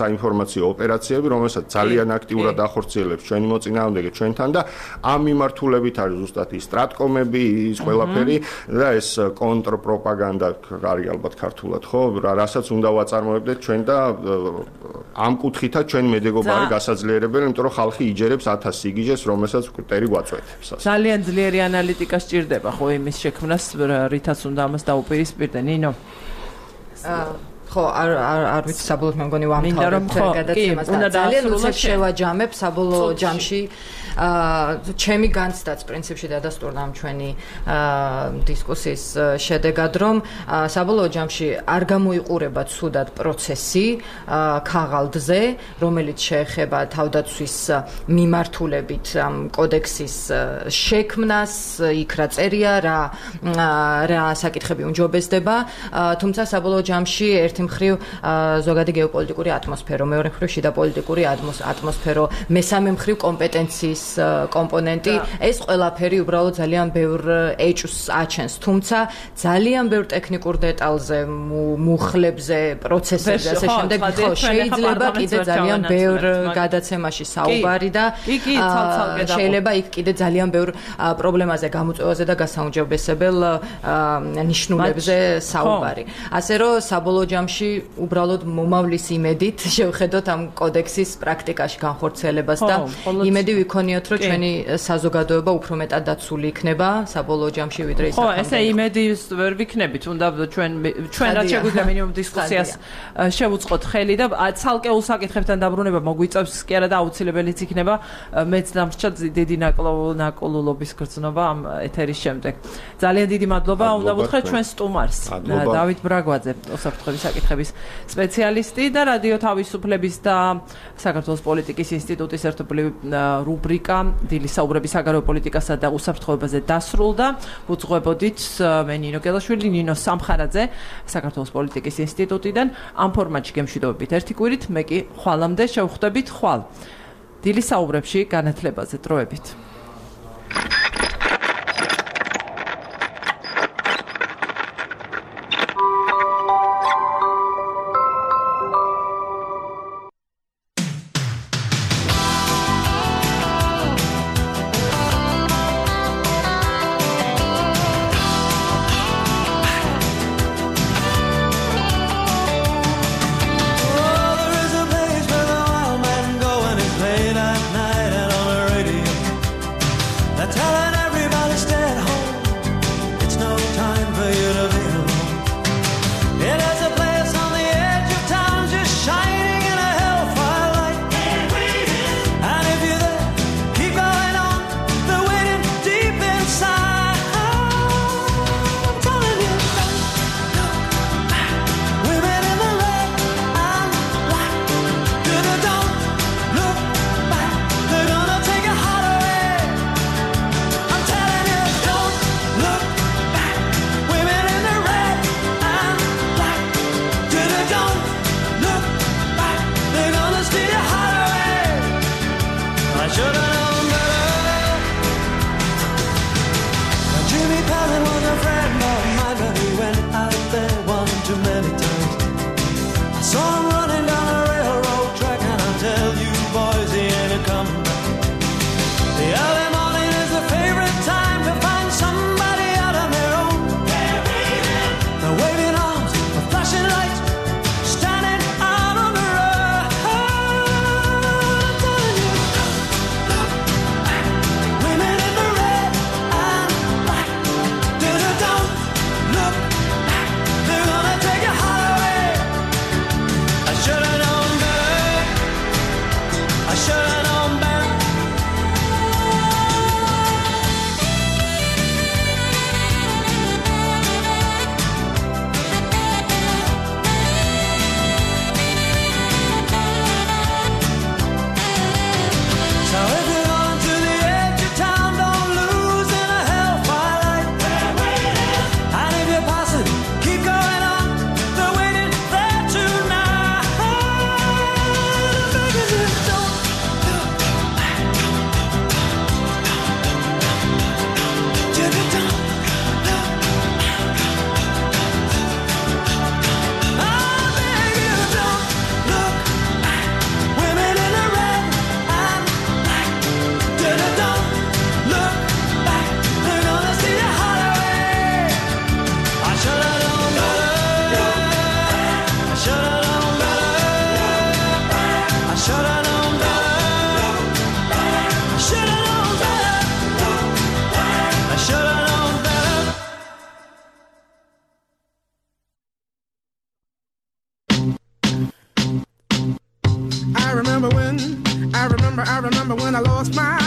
საინფორმაციო ოპერაციები, რომელსაც ძალიან აქტიურად ახორციელებს ჩვენი მოწინააღმდეგე ჩვენთან და ამ მიმართულებით არის ზუსტად ის სტრატკომები, ის ყველაფერი და ეს კონტრპროპაგანდა არის ალბათ ქართულად, ხო? რასაც უნდა ვაწარმოებდეთ ჩვენ და ამ კუთხითაც ჩვენი მედეგობარი გასაძლიერებელი, იმიტომ რომ ხალხი იჯერებს 1000 სიგიჟეს, რომელსაც კრიტერი გვაწვეთებს. ძალიან ძლიერი ანალიტიკა სჭირდება, ხო, იმის შექმნას, რითაც უნდა ამას დაუპირისპირდე, ნინო. ხო, არ ვიცი საბოლოოდ მე მგონი ვამთავრებ გადაცემას და ძალიან უცებ შევაჯამებ საბოლოო ჯამში ჩემი განცდაც პრინციპში დადასტურდა ამ ჩვენი დისკუსიის შედეგად, რომ საბოლოო ჯამში არ გამოიყურება ცუდად პროცესი ქაღალდზე, რომელიც შეეხება თავდაცვის მიმართულებით ამ კოდექსის შექმნას, იქ რა წერია, რა საკითხები უმჯობესდება, თუმცა საბოლოო ჯამში ერთი მხრივ ზოგადი გეოპოლიტიკური ატმოსფერო, მეორე მხრივ შიდა პოლიტიკური ატმოსფერო, მესამე მხრივ კომპეტენციის კომპონენტი, ეს ყველაფერი უბრალოდ ძალიან ბევრ ეჭვს აჩენს, თუმცა ძალიან ბევრ ტექნიკურ დეტალზე, მუხლებზე, პროცესებზე ასე შემდეგ, ხო, შეიძლება კიდე ძალიან ბევრ გადაცემაში საუბარი და შეიძლება იქ კიდე ძალიან ბევრ პრობლემაზე, გამოწვევაზე და გასაუმჯობესებელ ნიშნულებზე საუბარი. ასე რომ საბოლოო ჯამში უბრალოდ მომავლის იმედით შევხედოთ ამ კოდექსის პრაქტიკაში განხორციელებას და იმედი ვიქონიოთ, რომ ჩვენი საზოგადოება უფრო მეტად დაცული იქნება საბოლოო ჯამში ვიდრე ის. ხო, ესე იმედი ვერ ვიქნებით, უნდა ჩვენ რაც შეგვიძლია მინიმუმ დისკუსიას შევუწყოთ ხელი და ცალკეულ საკითხებთან დაბრუნება მოგვიწევს კი არა და აუცილებელიც იქნება მეც დამრჩა დიდი ნაკოლულობის გრძნობა ამ ეთერის შემდეგ. ძალიან დიდი მადლობა, უნდა ვუთხრათ ჩვენ სტუმარს, დავით ბრაგვაძე, უსაფრთხოების საკითხების სპეციალისტი და რადიო თავისუფლების და საქართველოს პოლიტიკის ინსტიტუტის ერთობლივი რუბრიკა დილის საუბრები საგარეო პოლიტიკასა და უსაფრთხოებაზე დასრულდა. უძღვებოდით მე ნინო გელაშვილი, ნინო სამხარაძე საქართველოს პოლიტიკის ინსტიტუტიდან. ამ ფორმატში გემშვიდობებით ერთი კვირით, მე კი ხვალამდე შევხვდებით ხვალ. დილის საუბრებში განათლებაზე დროებით. I remember when I lost my